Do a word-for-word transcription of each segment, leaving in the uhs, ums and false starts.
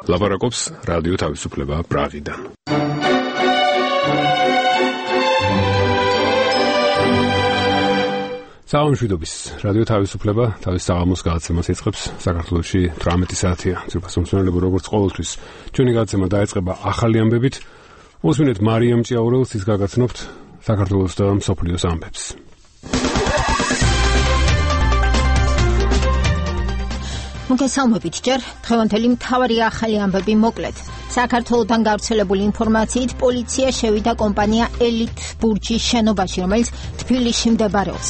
ლაპარაკობს რადიო თავისუფლება პრაღიდან. საამშვიდობის რადიო თავისუფლება თავის საღამოს გადაცემას იწყებს. საქართველოში თვრამეტი საათია. ძირფასმომსმენელებო, როგორც ყოველთვის, ჩვენი გადაცემა დაიწყება ახალი ამბებით. მოსვინეთ მარიამ ჭიაურელს, ის გაგაცნობთ საქართველოს და მსოფლიოს ამბებს. მოგესალმებით ჯერ, დღევანდელი მთავარი ახალი ამბები მოკლედ. საქართველოდან გავრცელებული ინფორმაციით პოლიცია შევიდა კომპანია ელით ბურჯის შენობაში, რომელიც თბილისში მდებარეობს.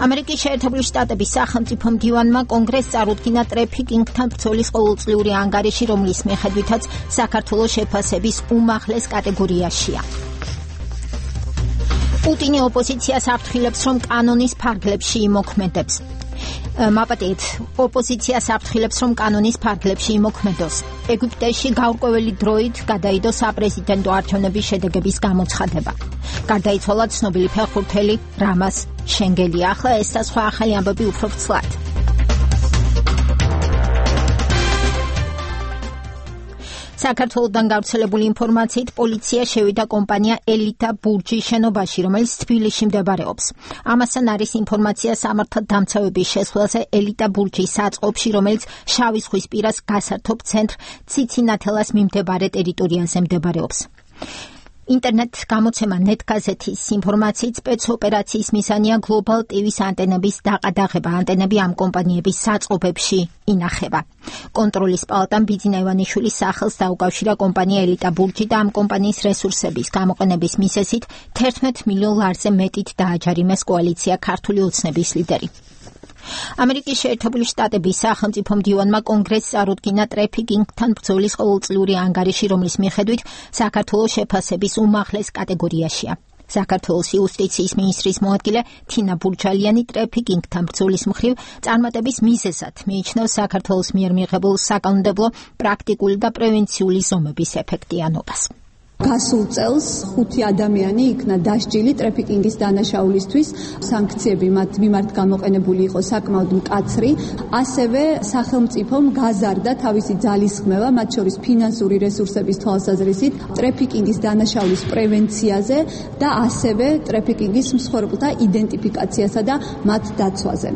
ამერიკის შეერთებული შტატების სახელმწიფო მდივანმა კონგრესს წარუდგინა ტრეფიკინგთან ბრძოლის ყოველწლიური ანგარიში, რომლის მიხედვითაც საქართველოს შეფასების უმაღლეს კატეგორიაშია. პუტინი ოპოზიციას აფრთხილებს, რომ კანონის ფარგლებში იმოქმედებს. მაპატიეთ, ოპოზიციას აფრთხილებს, რომ კანონის ფარგლებში იმოქმედოს. ეგვიპტეში გაურკვეველი დროით გადაიდო საპრეზიდენტო არჩევნების შედეგების გამოცხადება. გარდაიცვალა ცნობილი ფეხბურთელი რამაზ შენგელი. ახლა ეს და სხვა ახალი ამბები უფრო ვრცლად. საქართველოდან გავრცელებული ინფორმაციით პოლიცია შევიდა კომპანია ელიტა ბურჯის შენობაში, რომელიც თბილისში მდებარეობს. ამასთან არის ინფორმაცია სამართალდამცავების შესვლაზე ელიტა ბურჯის საწყობში, რომელიც შავი ზღვის პირას გასართობ ცენტრ ციცინათელას მიმდებარე ტერიტორიაზე მდებარეობს. ინტერნეტ გამოცემა ნეტგაზეთის ინფორმაციით სპეცოპერაციის მიზანია გლობალ ტივის ანტენების დაყადაღება. ანტენები ამ კომპანიების საწყობებში ინახება. კონტროლის პალატამ ბიძინა ივანიშვილის სახელს დაუკავშირა კომპანია ელიტა ბურჯი და ამ კომპანიის რესურსების გამოყენების მიზეზით თერთმეტ მილიონ ლარზე მეტით დააჯარიმეს კოალიცია ქართული ოცნების ლიდერი. ამერიკის შეერთებული შტატების სახელმწიფო მდივანმა კონგრესს წარუდგინა ტრეფიკინგთან ბრძოლის ყოველწლიური ანგარიში, რომლის მიხედვით საქართველოს შეფასების უმაღლეს კატეგორიაშია. საქართველოს იუსტიციის მინისტრის მოადგილე თინა ბურჯალიანი ტრეფიკინგთან ბრძოლის მხრივ წარმატების მიზეზად მიიჩნევს საქართველოს მიერ მიღებულ საკანონმდებლო, პრაქტიკული და პრევენციული ზომების ეფექტიანობას. გასულ წელს ხუთი ადამიანი იქნა დასჯილი ტრეფიკინგის დანაშაულისთვის. სანქციები მათ მიმართ გამოყენებული იყო საკმაოდ მკაცრი. ასევე სახელმწიფომ გაზარდა თავისი ძალისხმევა, მათ შორის ფინანსური რესურსების თვალსაზრისით, ტრეფიკინგის დანაშაულის პრევენციაზე და ასევე ტრეფიკინგის მსხვერპლთა იდენტიფიკაციასა და მათ დაცვაზე.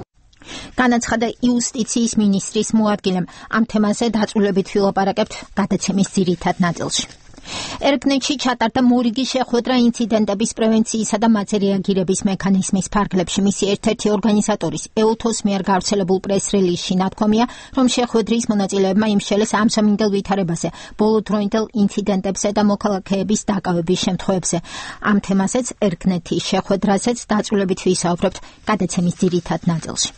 განაცხადა იუსტიციის მინისტრის მოადგილემ. ამ თემაზე დაწვრილებით ვილაპარაკებთ გადაცემის ძირითად ნაწილში. ერგნეთში ჩატარდა მორიგი შეხვედრა ინციდენტების პრევენციისა და მათზე რეაგირების მექანიზმის ფარგლებში. მისი ერთ-ერთი ორგანიზატორის ეუთოს მიერ გავრცელებულ პრეს-რელიზში ნათქვამია, რომ შეხვედრის მონაწილეებმა იმსჯელეს ამსამინდელ ვითარებაზე, ბოლოდროინდელ ინციდენტებზე და მოქალაქეების დაკავების შემთხვევებზე. ამ თემაზეც ერგნეთის შეხვედრაზეც დაწვრილებით ვისაუბრებთ გადაცემის ძირითად ნაწილში.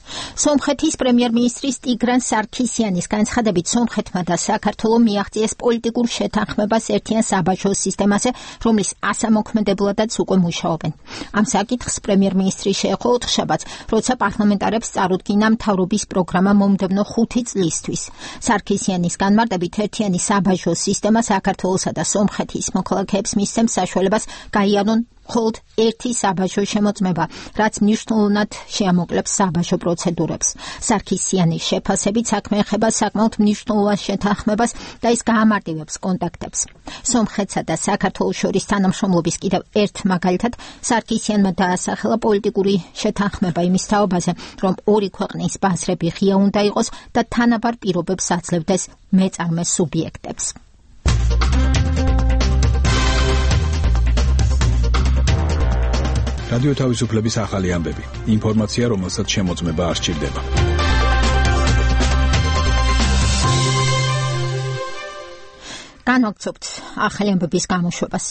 სომხეთის პრემიერ-მინისტრის ტიგრან სარქისიანის განცხადებით, სომხეთმა და საქართველომ მიაღწიეს პოლიტიკურ შეთანხმებას ერთიან საბაჟო სისტემაზე, რომლის ასამოქმედებლადაც უკვე მუშაობენ. ამ საკითხს პრემიერ-მინისტრი შეეხო ოთხშაბათს, როცა პარლამენტარებს წარუდგინა მთავრობის პროგრამა მომდევნო ხუთი წლისთვის. სარქისიანის განმარტებით, ერთიანი საბაჟო სისტემა საქართველოსა და სომხეთის მოქალაქეებს მისცემს საშუალებას გაიარონ მხოლოდ ერთი საბაჟო შემოწმება, რაც მნიშვნელოვნად შეამოკლებს საბაჟო პროცედურებს. სარქისიანის შეფასებით საქმე ეხება საკმაოდ მნიშვნელოვან შეთანხმებას და ის გაამარტივებს კონტაქტებს. სომხეთსა და საქართველოს შორის თანამშრომლობის კიდევ ერთ მაგალითად სარქისიანმა დაასახელა პოლიტიკური შეთანხმება იმის თაობაზე, რომ ორი ქვეყნის ბაზრები ღია უნდა იყოს და თანაბარ პირობებს აძლევდეს მეწარმე სუბიექტებს. რადიო თავისუფლების ახალი ამბები. ინფორმაცია, რომელსაც შემოწმება არ სჭირდება. განვაგრძობთ ახალი ამბების გამოშვებას.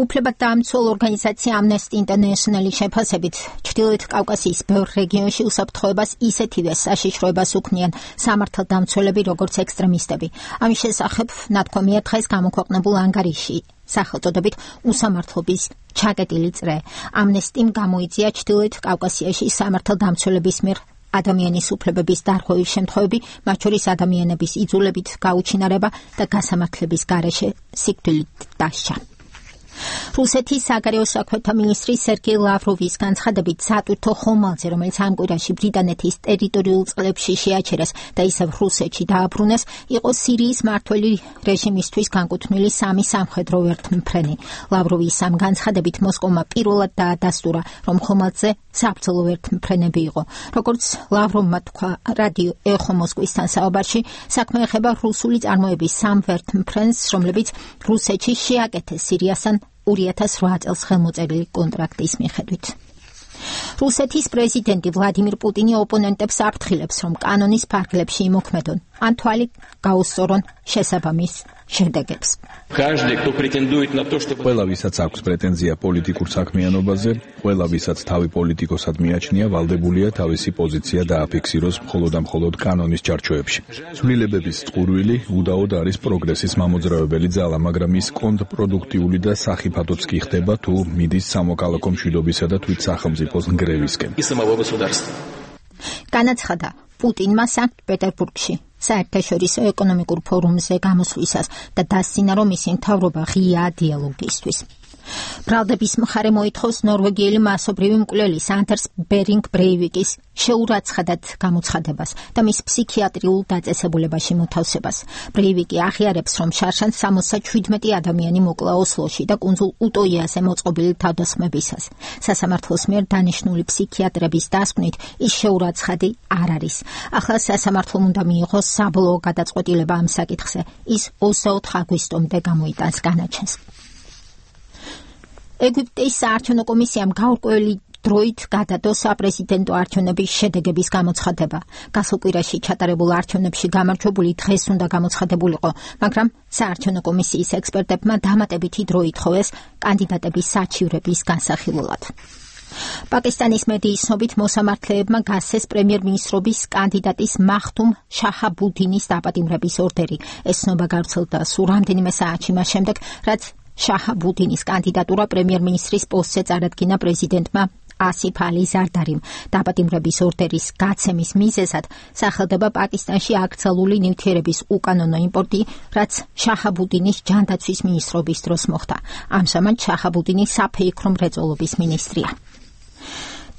უფლებადდამცველ ორგანიზაცია Amnesty International-ის შეფასებით, ჩრდილოეთ კავკასიის ბევრ რეგიონში უსაფრთხოებას ისეთივე საშიშროებას უქმნიან სამართალდამცველები, როგორც ექსტრემისტები. ამის შესახებ ნათქვამია დღეს გამოქვეყნებულ ანგარიში სახელწოდებით უსამართლობის ჩაკეტილი წრე. ამნესტიმ გამოიწვია ჩრდილოეთ კავკასიაში სამართალდამცველების მიერ ადამიანის უფლებების დარღვევის შემთხვევები, მათ შორის ადამიანების იძულებით გაუჩინარება და გასამართლების გარეშე სიკვდილით დასჯა. რუსეთის საგარეო საქმეთა მინისტრი სერგეი ლავროვის განცხადებით სატვირთო ხომალდზე, რომელიც ამ კვირაში ბრიტანეთის ტერიტორიულ წყლებში შეაჩერეს და ისევ რუსეთში დააბრუნეს, იყო სირიის მმართველი რეჟიმისთვის განკუთვნილი სამი სამხედრო ერთმფრენი. ლავროვის ამ განცხადებით მოსკოვმა პირველად დაადასტურა, რომ ხომალდზე საბრძოლო ერთმფრენები იყო. როგორც ლავროვმა თქვა რადიო ეხო მოსკოვისთან საუბარში, საქმე ეხება რუსული წარმოების სამ ერთმფრენს, რომლებიც რუსეთში შეაკეთეს სირიასთან ორი ათას რვა წელს ხელმოწერილი კონტრაქტის მიხედვით. რუსეთის პრეზიდენტი ვლადიმირ პუტინი ოპონენტებს აფრთხილებს, რომ კანონის ფარგლებში იმოქმედონ, ან თვალი გაუსწორონ შესაბამის შედეგებს. ყველა, ვისაც აქვს პრეტენზია პოლიტიკურ საქმიანობაზე, ყველა, ვისაც თავი პოლიტიკოსად მიაჩნია, ვალდებულია თავისი პოზიცია დააფიქსიროს მხოლოდ და მხოლოდ კანონის ჩარჩოებში. ცვლილებების წყურვილი უდაოდ არის პროგრესის მამოძრავებელი ძალა, მაგრამ ის კონტრპროდუქტიული და სახიფათოც კი ხდება, თუ მიდის სამოქალაქო მშვიდობისა და თვით სახელმწიფოს ნგრევისკენ. განაცხადა პუტინმა სანქტ-პეტერბურგში საერთაშორისო ეკონომიკურ ფორუმზე გამოსვლისას და დასცინა, რომ მისი მთავრობა ღიაა დიალოგისთვის. ბრალდების მხარე მოითხოვს ნორვეგიელი მასობრივი მკვლელის ანდერს ბერინგ ბრეივიკის შეურაცხადად გამოცხადებას და მის ფსიქიატრიულ დაწესებულებაში მოთავსებას. ბრეივიკი აღიარებს, რომ შარშან სამოცდაშვიდმეტი ადამიანი მოკლა ოსლოში და კუნძულ უტოიაზე მოწყობილი თავდასხმებისას. სასამართლოს მიერ დანიშნული ფსიქიატრების დასკვნით ის შეურაცხადი არ არის. ახლა სასამართლომ უნდა მიიღოს საბოლოო გადაწყვეტილება ამ საკითხზე. ის ოცდაოთხ აგვისტომდე გამოიტანს განაჩენს. ეგვიპტის საარჩევნო კომისიამ გაურკვეველი დროით გადადო საპრეზიდენტო არჩევნების შედეგების გამოცხადება. გასულ კვირაში ჩატარებულ არჩევნებში გამარჯვებული დღეს უნდა გამოცხადებულიყო, მაგრამ საარჩევნო კომისიის ექსპერტებმა დამატებითი დრო ითხოვეს კანდიდატების საჩივრების განსახილველად. პაკისტანის მედიის ცნობით მოსამართლეებმა გასცეს პრემიერ-მინისტრობის კანდიდატის მახტუმ შაჰაბუდინის დაპატიმრების ორდერი. ეს ცნობა გავრცელდა სულ რამდენიმე საათში მას შემდეგ, რაც შაჰაბუდინის კანდიდატურა პრემიერ-მინისტრის პოსტზე წარადგინა პრეზიდენტმა ასიფ ალი ზარდარიმ. დაპატიმრების ორდერის გაცემის მიზეზად სახელდება პაკისტანში აკრძალული ნივთიერების უკანონო იმპორტი, რაც შაჰაბუდინის ჯანდაცვის მინისტრობის დროს მოხდა. ამჟამად შაჰაბუდინი საფეიქრო მრეწველობის მინისტრია.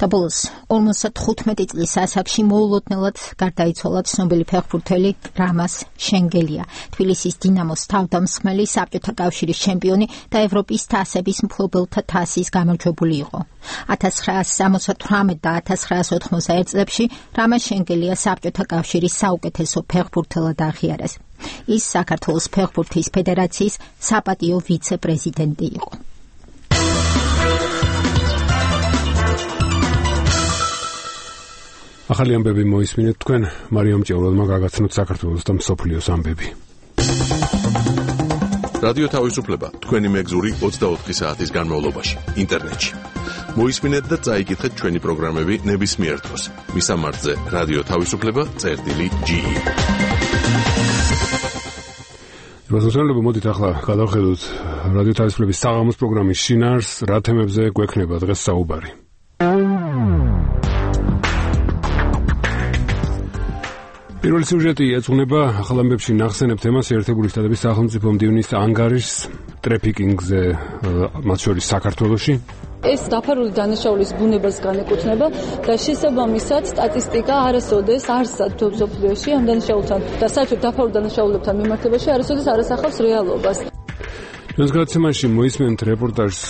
და ბოლოს ორმოცდათხუთმეტი წლის ასაკში მოულოდნელად გარდაიცვალა ცნობილი ფეხბურთელი რამაზ შენგელია. თბილისის დინამოს თავდამსხმელი, საბჭოთა კავშირის ჩემპიონი და ევროპის თასების მფლობელთა თასის გამარჯვებული იყო. ათას ცხრაასი სამოცდათვრამეტ და ათას ცხრაასი ოთხმოცდაერთ წლებში რამაზ შენგელია საბჭოთა კავშირის საუკეთესო ფეხბურთელად აღიარეს. ის საქართველოს ფეხბურთის ფედერაციის საპატიო ვიცე-პრეზიდენტი იყო. ახალი ამბები მოისმინეთ თქვენ მარიამ ჭეულელმა გაგაცნოთ საქართველოს და მსოფლიოს ამბები. რადიო თავისუფლება თქვენი მეგზური ოცდაოთხი საათის განმავლობაში ინტერნეტში. მოისმინეთ და წაიკითხეთ ჩვენი პროგრამები ნებისმიერ დროს. მისამართზე რადიო თავისუფლება წერტილი ჯი. მოსახლეობა მოდით ახლა გადავხედოთ რადიო თავისუფლების საღამოს პროგრამის შინაარსს, რა თემებზე გვექნება დღეს საუბარი. პირველი სიუჟეტი ეძღვნება ახალ ამბებში ნახსენებ თემას ერთებული შტატების სახელმწიფო მდივნის ანგარიშს ტრეფიკინგზე, მათ შორის საქართველოში. ეს დაფარული დანაშაულის ბუნებას განეკუთვნება და შესაბამისად სტატისტიკა არასოდეს არ სათვალს მსოფლიოში ამ დანაშაულთან და საერთოდ დაფარულ დანაშაულებთან მიმართებაში არასოდეს არ ასახავს რეალობას. ჩვენს გადაცემაში მოისმენთ რეპორტაჟს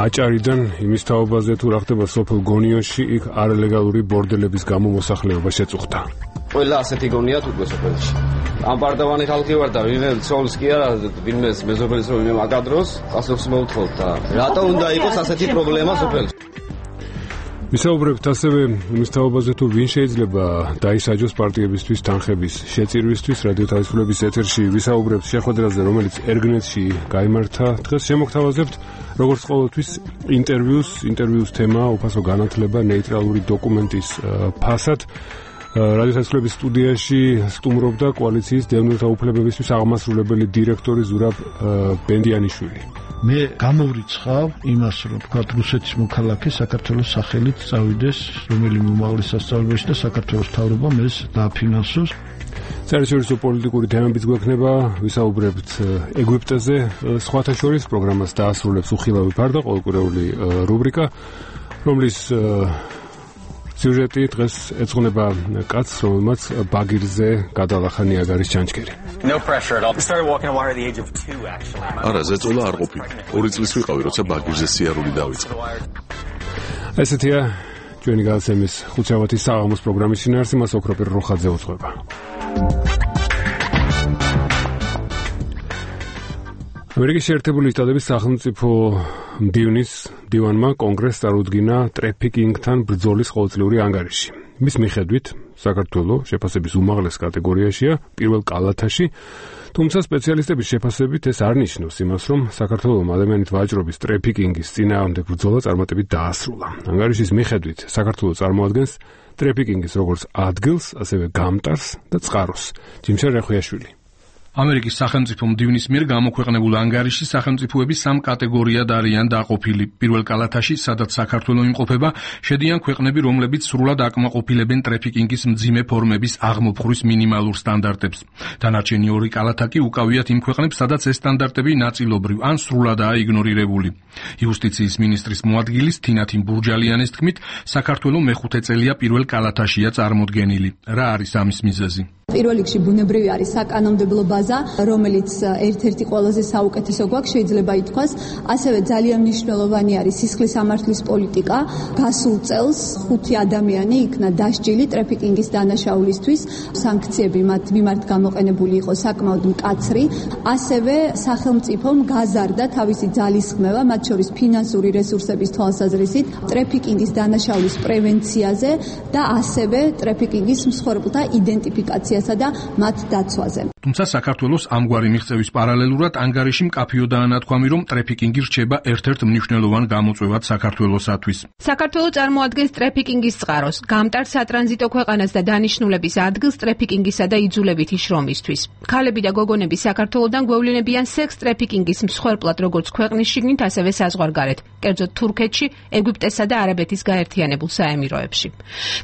აჭარიდან იმის თაობაზე, თუ რა ხდება სოფელ გონიოში, იქ არალეგალური ბორდელების გამო მოსახლეობა შეწუხდა. ყველა ასეთი გონიათ უკვე სოფელში. ამ პარტავანი ხალხი ვარ და ვინმე ცოლის კი არა, ვინმე მეზობელის რომ ვინმე აკადროს, პასუხს მოვთხოვთ და რატო უნდა იყოს ასეთი პრობლემა სოფელში? ვისაუბრებთ ასევე იმის თაობაზე, თუ ვინ შეიძლება დაისაჯოს პარტიებისთვის თანხების შეწირვისთვის. რადიო თავისუფლების ეთერში ვისაუბრებთ შეხვედრაზე, რომელიც ერგნეტში გაიმართა. დღეს შემოგთავაზებთ როგორც ყოველთვის ინტერვიუს, ინტერვიუს თემა უფასო განათლება ნეიტრალური დოკუმენტის ფასად. რადიო თავისუფლების სტუდიაში სტუმრობდა კოალიციის დევნილთა უფლებებისთვის აღმასრულებელი დირექტორი ზურაბ ბენდიანიშვილი. მე გამოვრიცხავ იმას, რომ თქვა რუსეთის მოქალაქე საქართველოს სახელით წავიდეს რომელიმე უმაღლეს სასწავლებელში და საქართველოს მთავრობამ ეს დააფინანსოს. საერთაშორისო პოლიტიკური თემებიც გვექნება, ვისაუბრებთ ეგვიპტეზე, სხვათა შორის პროგრამას დაასრულებს უხილავი ფარდა, ყოველკვირეული რუბრიკა, რომლის სიუჟეტი დღეს ეძღვნება კაცს, რომელმაც ბაგირზე გადალახა ნიაგარის ჩანჩქერი. არა, ზეწოლა არ ყოფილი. ორი წლის ვიყავი, როცა ბაგირზე სიარული დავიწყე. ესეთია ჩვენი გადაცემის ხუთსავათის საღამოს პროგრამის შინაარსი, მას ოქროპირ როხაძე უძღვება. ამერიკის შეერთებული შტატების სახელმწიფო მდივნის მდივანმა კონგრესს წარუდგინა ტრაფიკინგთან ბრძოლის ყოველწლიური ანგარიში. მის მიხედვით საქართველოს შეფასების უმაღლეს კატეგორიაშია პირველ კალათაში, თუმცა სპეციალისტების შეფასებით ეს არ ნიშნავს იმას, რომ საქართველოს ადამიანით ვაჭრობის ტრაფიკინგის წინააღმდეგ ბრძოლა წარმატებით დაასრულა. ანგარიშის მიხედვით საქართველოს წარმოადგენს ტრაფიკინგის როგორც ადგილს, ასევე გამტარს და წყაროს. ჯიმშარ რეხვიაშვილი. ამერიკის სახელმწიფო მდივნის მიერ გამოქვეყნებულ ანგარიში სახელმწიფოები სამ კატეგორიად არიან დაყოფილი. პირველ კალათაში, სადაც საქართველო იმყოფება, შედიან ქვეყნები, რომლებიც სრულად აკმაყოფილებენ ტრაფიკინგის მძიმე ფორმების აღმოფხვრვის მინიმალურ სტანდარტებს. დანარჩენი ორი კალათა კი უკავიათ იმ ქვეყნებს, სადაც ეს სტანდარტები ნაწილობრივ ან სრულადაა იგნორირებული. იუსტიციის მინისტრის მოადგილის თინათინ ბურჯალიანის თქმით, საქართველო მეხუთე წელია პირველ კალათაშია წარმოდგენილი. რა არის ამის მიზეზი? პირველ რიგში ბუნებრივი არის საკანონმდებლო ბაზა, რომელიც ერთ-ერთი ყველაზე საუკეთესო გვაქვს, შეიძლება ითქვას. ასევე ძალიან მნიშვნელოვანი არის სისხლის სამართლის პოლიტიკა. გასულ წელს ხუთი ადამიანი იქნა დასჯილი ტრაფიკინგის დანაშაულისთვის. სანქციები მათ მიმართ გამოყენებული იყო საკმაოდ მკაცრი. ასევე სახელმწიფომ გაზარდა თავისი ძალისხმევა, მათ შორის ფინანსური რესურსების თვალსაზრისით, ტრაფიკინგის დანაშაულის პრევენციაზე და ასევე ტრაფიკინგის მსხვერპლთა იდენტიფიკაციაზე და მათ დაცვაზე. თუმცა საქართველოს ამგვარი მიღწევის პარალელურად ანგარიში მკაფიოდაა ნათქვამი, რომ ტრაფიკინგი რჩება ერთ-ერთ მნიშვნელოვან გამოწვევად საქართველოსათვის. საქართველო წარმოადგენს ტრაფიკინგის წყაროს, გამტარ სატრანზიტო ქვეყანას და დანიშნულების ადგილს ტრაფიკინგისა და იძულებითი შრომისთვის. ქალები და გოგონები საქართველოდან გვევლინებიან სექს ტრაფიკინგის მსხვერპლად, როგორც ქვეყნის შიგნით, ასევე საზღვარგარეთ, კერძოდ თურქეთში, ეგვიპტესა და არაბეთის გაერთიანებულ საემიროებში.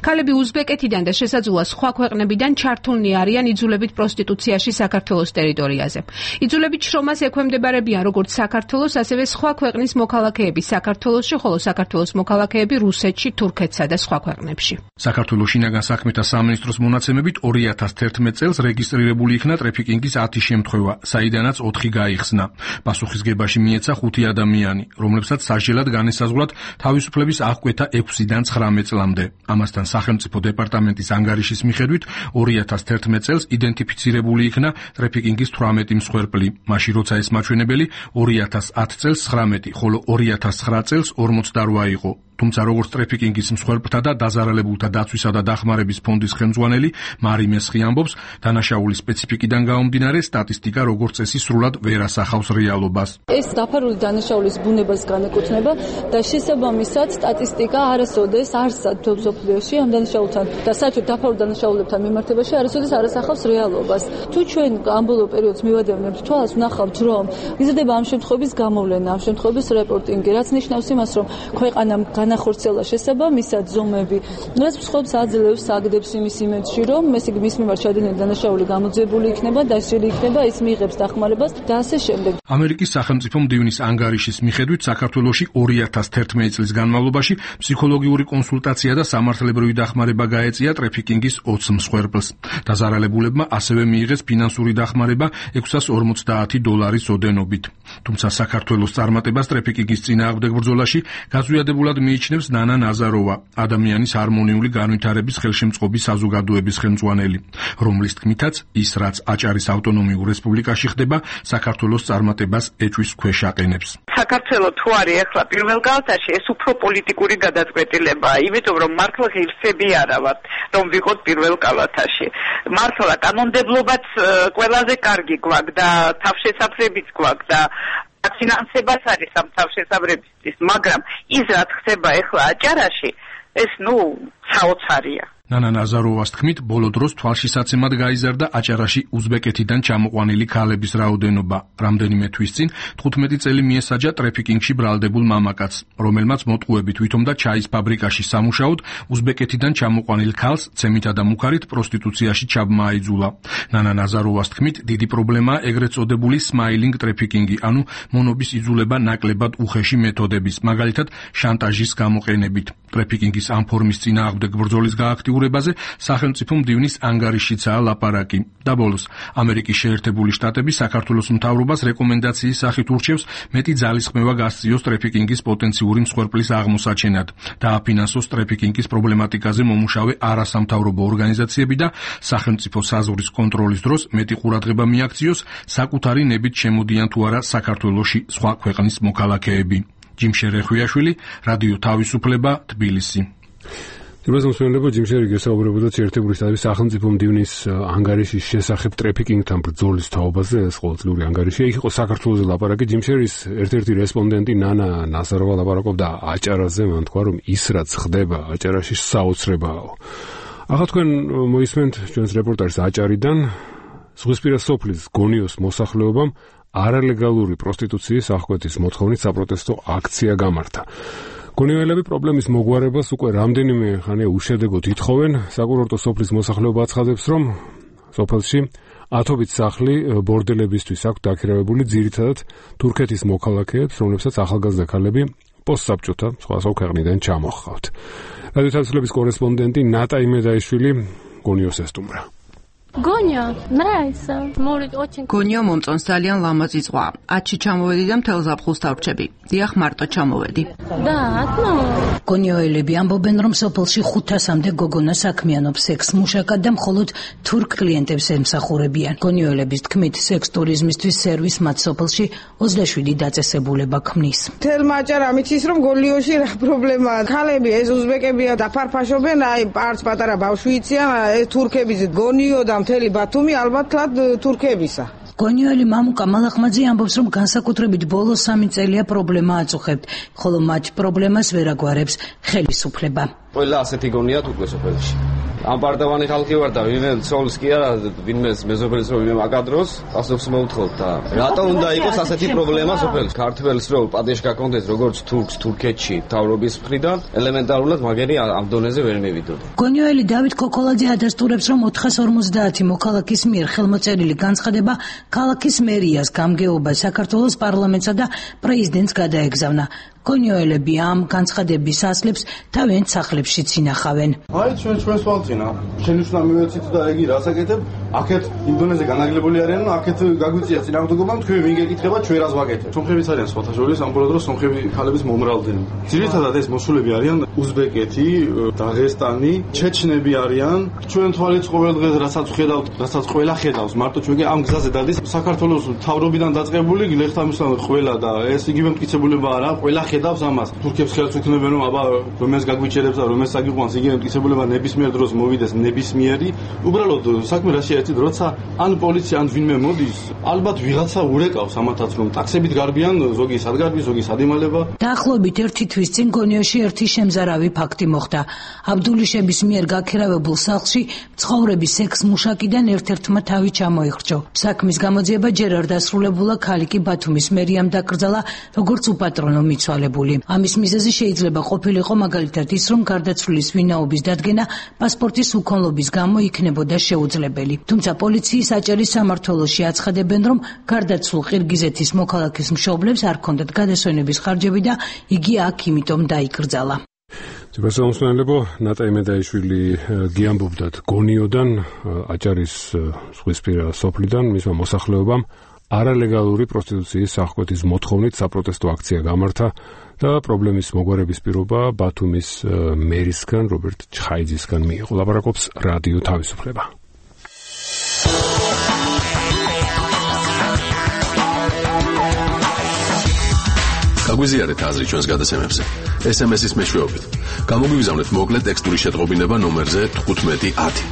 ქალები უზბეკეთიდან და შესაძლოა სხვა ქვეყნებიდან ჩართულნი არიან იძულებით პროსტიტუციაში საქართველოს ტერიტორიაზე. იძულებით შრომას ექვემდებარებიან როგორც საქართველოს, ასევე სხვა ქვეყნის მოქალაქეები საქართველოში, ხოლო საქართველოს მოქალაქეები რუსეთში, თურქეთსა და სხვა ქვეყნებში. საქართველოს შინაგან საქმეთა სამინისტროს მონაცემებით ორი ათას თერთმეტ წელს რეგისტრირებული იქნა ტრაფიკინგის ათი შემთხვევა, საიდანაც ოთხი გაიხსნა. პასუხისგებაში მიეცა ხუთი ადამიანი, რომლებსაც სასჯელად განესაზღვრათ თავისუფლების აღკვეთა ექვსიდან ცხრამეტ წლამდე. ამასთან სახელმწიფო დეპარტამენტის ანგარიშის მიხედვით ორი ათას თერთმეტ წელს იდენტიფიცირებული იქნა ტრაფიკინგის თვრამეტი მსხვერპლი, მაშინ როცა ეს მაჩვენებელი ორი ათას ათი წელს ცხრამეტი, ხოლო ორი ათას ცხრა წელს ორმოცდარვა იყო. თუმცა როგორც ტრაფიკინგის მსხვერპლთა და დაზარალებულთა დაცვისა და დახმარების ფონდის ხელმძღვანელი მარი მესხი ამბობს, დანაშაულის სპეციფიკიდან გამომდინარე სტატისტიკა როგორც წესი სრულად ვერ ასახავს რეალობას. ეს დაფარული დანაშაულის ბუნებას განეკუთვნება და შესაბამისად სტატისტიკა არასოდეს არ სათვალ მსოფლიოში ამ დანაშაულთან და საერთოდ დაფარულ დანაშაულებთან მიმართებაში არასოდეს არ ასახავს რეალობას. თუ ჩვენ ამ ბოლო პერიოდს მივადევნებთ თვალს, ვნახავთ, რომ იზრდება ამ შემთხვევების გამოვლენა, ამ შემთხვევების რეპორტინგი, რაც ნიშნავს იმას, რომ ქვეყანამ განახორციელა შესაბამისად ზომები, რაც მსხვერპლს აძლევს, აგდებს იმის იმედში, რომ ეს იგი მის მიმართ ჩადენილი დანაშაული გამოძიებული იქნება, დასჯილი იქნება, ის მიიღებს დახმარებას და ასე შემდეგ. ამერიკის სახელმწიფო მდივნის ანგარიშის მიხედვით საქართველოში ორი ათას თერთმეტ წლის განმავლობაში ფსიქოლოგიური კონსულტაცია და სამართლებრივი დახმარება გაეწია ტრაფიკინგის ოცს მსხვერპლს. დაზარალებულებმა ასევე მიიღეს ფინანსური დახმარება ექვსას ორმოცდაათი დოლარის ოდენობით. თუმცა საქართველოს წარმატებას ტრაფიკინგის წინააღმდეგ ბრძოლაში გაზვიადებულად მიიჩნევს ნანა ნაზაროვა, ადამიანის ჰარმონიული განვითარების ხელშემწყობი საზოგადოების ხელმძღვანელი, რომლის თქმითაც ის, რაც აჭარის ავტონომიურ რესპუბლიკაში ხდება, საქართველოს წარმატებას ეჭვის ქვეშ აყენებს. საქართველო თუ არის ახლა პირველ კალათაში, ეს უფრო პოლიტიკური გადაწყვეტილებაა, იმიტომ რომ მართლა ღირსები არა ვართ, რომ ვიყოთ პირველ კალათაში. მართლა კანონმდებლობაც ყველაზე კარგი გვაქვს და თავშესაფრებიც გვაქვს და ფინანსებაც არის ამ თავშესაფრებისთვის, მაგრამ ის რაც ხდება ახლა აჭარაში, ეს ნუ საოცარია. ნანა ნაზაროვას თქმით, ბოლო დროს თვალშისაცემად გაიზარდა აჭარაში უზბეკეთიდან ჩამოყვანილი ქალების რაოდენობა. რამდენიმე თვის წინ თხუთმეტი წელი მიესაჯა ტრაფიკინგში ბრალდებულ მამაკაცს, რომელმაც მოტყუებით ვითომდა ჩაის ფაბრიკაში სამუშაოდ უზბეკეთიდან ჩამოყვანილ ქალს ცემითა და მუქარით პროსტიტუციაში ჩაბმა აიძულა. ნანა ნაზაროვას თქმით, დიდი პრობლემაა ეგრეთ წოდებული სმაილინგ ტრაფიკინგი, ანუ მონობის იძულება ნაკლებად უხეში მეთოდების, მაგალითად შანტაჟის გამოყენებით. ტრაფიკინგის ამ ფორმის წინააღმდეგ ბრძოლის გააქტიურებაზე სახელმწიფო მდივნის ანგარიშიცაა ლაპარაკი. და ბოლოს, ამერიკის შეერთებული შტატები საქართველოს მთავრობას რეკომენდაციის სახით ურჩევს მეტი ძალისხმევა გასწიოს ტრაფიკინგის პოტენციური მსხვერპლის აღმოსაჩენად, დააფინანსოს ტრაფიკინგის პრობლემატიკაზე მომუშავე არასამთავრობო ორგანიზაციები და სახელმწიფო საზღვრის კონტროლის დროს მეტი ყურადღება მიაქციოს საკუთარი ნებით შემოდიან თუ არა საქართველოში სხვა ქვეყნის მოქალაქეები. ჯიმშერ ეხვიაშვილი, რადიო თავისუფლება, თბილისი. Trebuie să spunem că Jimsheri გესაუბრებოდა შეერთებული შტატების სახელმწიფო მდივნის ანგარიშის შესახებ ტრაფიკინგთან ბრძოლის თაობაზე, ეს ყოველწლიური ანგარიში. იქ იყო საქართველოს ლაპარაკი. Jimsheris ერთ-ერთი რესპონდენტი ნანა ნაზაროვა ლაპარაკობდა აჭარაზე, მან თქვა, რომ ის რაც ხდება აჭარაში საოცრებაა. ახლა თქვენ მოისმენთ ჩვენს რეპორტაჟს აჭარიდან, ზღვისპირა სოფლის გონიოს მოსახლეობამ არალეგალური პროსტიტუციის აღკვეთის მოთხოვნით საპროტესტო აქცია გამართა. გონიოელები პრობლემის მოგვარებას უკვე რამდენიმე ხანია უშედეგოდ ითხოვენ. საკურორტო სოფლის მოსახლეობა აცხადებს, რომ სოფელში ათობით სახლი ბორდელებისთვის აქვს დაქირავებული ძირითადად თურქეთის მოქალაქეებს, რომლებსაც ახალგაზრდა ქალები პოსტსაბჭოთა სხვა ქვეყნიდან ჩამოჰყავთ. რადიო თავისუფლების კორესპონდენტი ნატა იმედაიშვილი გონიოს ესტუმრა. Gonia, nравится. Может, очень. Gonia მომწონს ძალიან ლამაზი ზღვა. ათში ჩამოვედი და მთელ ზაფხულს დავრჩები. დიახ, მარტო ჩამოვედი. Да, одно. გონიოელები ამბობენ, რომ სოფელში ხუთასამდე გოგონა საქმიანობს სექს მუშაკად და მხოლოდ თურქ კლიენტებს ემსახურებიან. გონიოელების თქმით, სექს ტურიზმისთვის სერვის მათ სოფელში ოცდაშვიდი დაწესებულება ქმნის. თელმა აჭარა მიცის, რომ გონიოში რა პრობლემაა. ქალები ეს უზბეკებია და ფარფაშობენ, აი პარც პატარა ბავშვი იციან, ეს თურქების გონიო და მთელი ბათუმი ალბათ თურქებისა. გონიოელი მამუკა მალახმაძე ამბობს, რომ განსაკუთრებით ბოლო სამი წელია პრობლემა აწუხებთ, ხოლო მათ პრობლემას ვერ აგვარებს ხელისუფლება. ყველა ასეთი გონია თუ სოფელში. ამ პარტავანი ხალხი ვარ და ვინმე ცოლს კი არა, ვინმე მეზობელს რო ვინმე აკადროს, ასობს მოვთხოვთ და რატო უნდა იყოს ასეთი პრობლემა სოფელში? ქართველს რო პადეშ გაკონდეს როგორც თურქს თურქეთში თავრობის მხრიდან, ელემენტარულად მაგერი ამ დონეზე ვერ მივიდოდი. გონიოელი დავით ქოქოლაძე ადასტურებს, რომ ოთხას ორმოცდაათი მოქალაქის მიერ ხელმოწერილი განცხადება ქალაქის მერიას, გამგეობას, საქართველოს პარლამენტსა და პრეზიდენტს გადაეგზავნა. გონიოელები ამ განცხადების ასლებს თავიანთ სახლებშიც ინახავენ. აი ჩვენ ჩვენს ვალწინა, შენ უშნა მივეცით და იგი რასაკეთებ? აქეთ იმ დონეზე განაგლებული არიან, აქეთ გაგვიწია წინააღმდეგობა, თქვენ ვინ გეკითხება, ჩვენ რას ვაკეთებ? სომხებიც არიან სხვათა შორის, ამბობენ, რომ სომხები ქალების მომრავლდნენ. ძირითადად ეს მოსულები არიან უზბეკეთი, დაღესტანი, ჩეჩნები არიან. ჩვენ თვალით ყოველ დღეს რასაც ხედავთ, რასაც ყველა ხედავს, მარტო ჩვენ ამ გზაზე დადის საქართველოს თავრობიდან დაწყებული გლეხთამისთან ყველა და ეს იგივე მტკიცებულება არა, ყველა ხედავს ამას. თურქებს ხელს უქნებენ, რომ აბა რომელს გაგვიჩერებს და რომელს აგიყვანს, იგივე მტკიცებულება ნებისმიერ დროს მოვიდეს ნებისმიერი. უბრალოდ საქმე რა შეერთით, როცა ან პოლიცია ან ვინმე მოდის, ალბათ ვიღაცა ურეკავს ამათაც, რომ ტაქსებით გარბიან, ზოგი სადგარბი, ზოგი სადიმალება. დაახლოებით ერთი თვის წინ გონიოში ერთი შემზარავი ფაქტი მოხდა. აბდულიშების მიერ გაქირავებულ სახლში მცხოვრები სექს მუშაკიდან ერთ-ერთმა თავი ჩამოიხრჯო. საქმის გამოძიება ჯერ არ დასრულებულა, ქალი კი ბათუმის მერიამ დაკრძალა, როგორც უპატრონო მიცვალებული. ამის მიზეზი შეიძლება ყოფილიყო მაგალითად ის, რომ გარდაცვლილის ვინაობის დადგენა პასპორტის უქონლობის გამო იქნებოდა შეუძლებელი. თუმცა პოლიციის აჭარის სამმართველოში აცხადებენ, რომ გარდაცვლილ ყირგიზეთის მოქალაქის მშობლებს არ ჰქონდათ გადასვენების ხარჯები და იგი აქ იმიტომ დაიკრძალა. ძებასამოსმენლებო ნატა იმედაიშვილი გიამბობდათ გონიოდან, აჭარის ზღვისპირა სოფლიდან, მისმა მოსახლეობამ არალეგალური პროსტიტუციის აღკვეთის მოთხოვნით საპროტესტო აქცია გამართა და პრობლემის მოგვარების პირობა ბათუმის მერისგან, რობერტ ჩხაიძისგან მიიღო. ლაპარაკობს რადიო თავისუფლება. გაგვიზიარეთ აზრი ჩვენს გადაცემებზე. ეს ემ ეს-ის მეშვეობით. გამოგვიგზავნეთ მოკლე ტექსტური შეტყობინება ნომერზე თხუთმეტი ათი.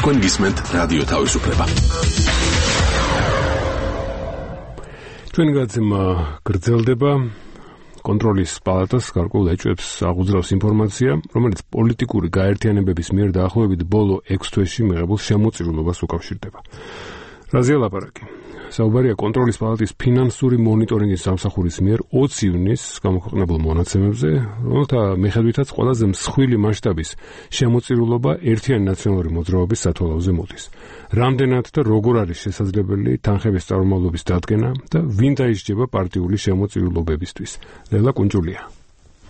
თქვენ გისმენთ რადიო თავისუფლება. ჩვენ გადაცემა გრძელდება. კონტროლის პალატას გარკვეულ ეჭვებს აღუძრავს ინფორმაცია, რომელიც პოლიტიკური გაერთიანებების მიერ დაახლოებით ბოლო ექვს თვეში მიღებულ შემოწირულობას უკავშირდება. რაზეა ლაპარაკი? საუბარია კონტროლის პალატის ფინანსური მონიტორინგის სამსახურის მიერ ოცი ივნისს გამოქვეყნებულ მონაცემებზე, რომელთა მიხედვითაც ყველაზე მსხვილი მასშტაბის შემოწირულობა ერთიანი ნაციონალური მოძრაობის სათვალავზე მოდის. რამდენად და როგორ არის შესაძლებელი თანხების წარმომავლობის დადგენა და ვინ დაისჯება პარტიული შემოწირულობებისთვის? ლელა კუნჭულია.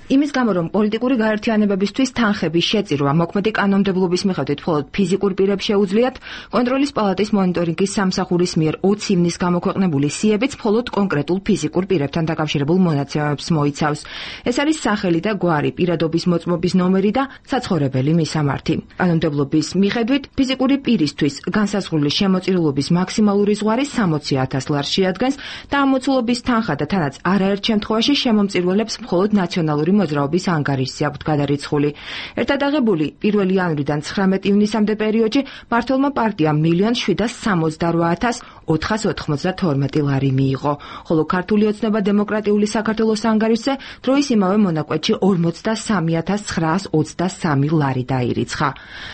იმის გამო, რომ პოლიტიკური გაერთიანებებისთვის თანხების შეწირვა მოქმედი კანონმდებლობის მიხედვით მხოლოდ ფიზიკურ პირებს შეუძლიათ, კონტროლის პალატის მონიტორინგის სამსახურის მიერ ოცი ივნისს გამოქვეყნებული სიებიც მხოლოდ კონკრეტულ ფიზიკურ პირებთან დაკავშირებულ მონაცემებს მოიცავს. ეს არის სახელი და გვარი, პირადობის მოწმობის ნომერი და საცხოვრებელი მისამართი. კანონმდებლობის მიხედვით ფიზიკური პირისთვის განსაზღვრული შემოწირულობის მაქსიმალური ზღვარი სამოცი ათას ლარს შეადგენს და ამოცულობის თანხა და თანაც არაერთ შემთხვევაში შემომწირულებს მხოლოდ ნაციონალური მოძრაობის ანგარიშზე აქვთ გადარიცხული. ერთად აღებული პირველი იანვრიდან ცხრამეტი ივნისამდე პერიოდში მმართველმა პარტიამ მილიონ შვიდას სამოცდარვა ათას ოთხას ოთხმოცდათორმეტი ლარი მიიღო, ხოლო ქართული ოცნება დემოკრატიული საქართველოს ანგარიშზე დროის იმავე მონაკვეთში ორმოცდასამი ათას ცხრაას ოცდასამი ლარი დაირიცხა.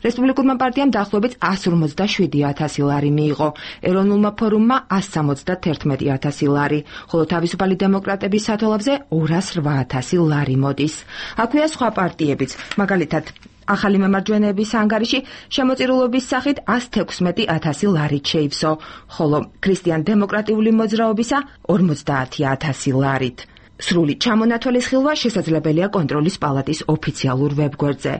რესპუბლიკურმა პარტიამ დაახლოებით ასს ორმოცდაშვიდი ათასი ლარი მიიღო, ეროვნულმა ფორუმმა ასს სამოცდათერთმეტი ათასი ლარი, ხოლო თავისუფალი დემოკრატების სათვალავზე ორას რვა ათასი ლარი მოდის. აქვეა სხვა პარტიებიც, მაგალითად ახალი მემარჯვენეების ანგარიში შემოწირულობის სახით ასს თექვსმეტი ათასი ლარით შეივსო, ხოლო ქრისტიან დემოკრატიული მოძრაობისა ორმოცდაათი ათასი ლარით. სრული ჩამონათვალის ხილვა შესაძლებელია კონტროლის პალატის ოფიციალურ ვებგვერდზე.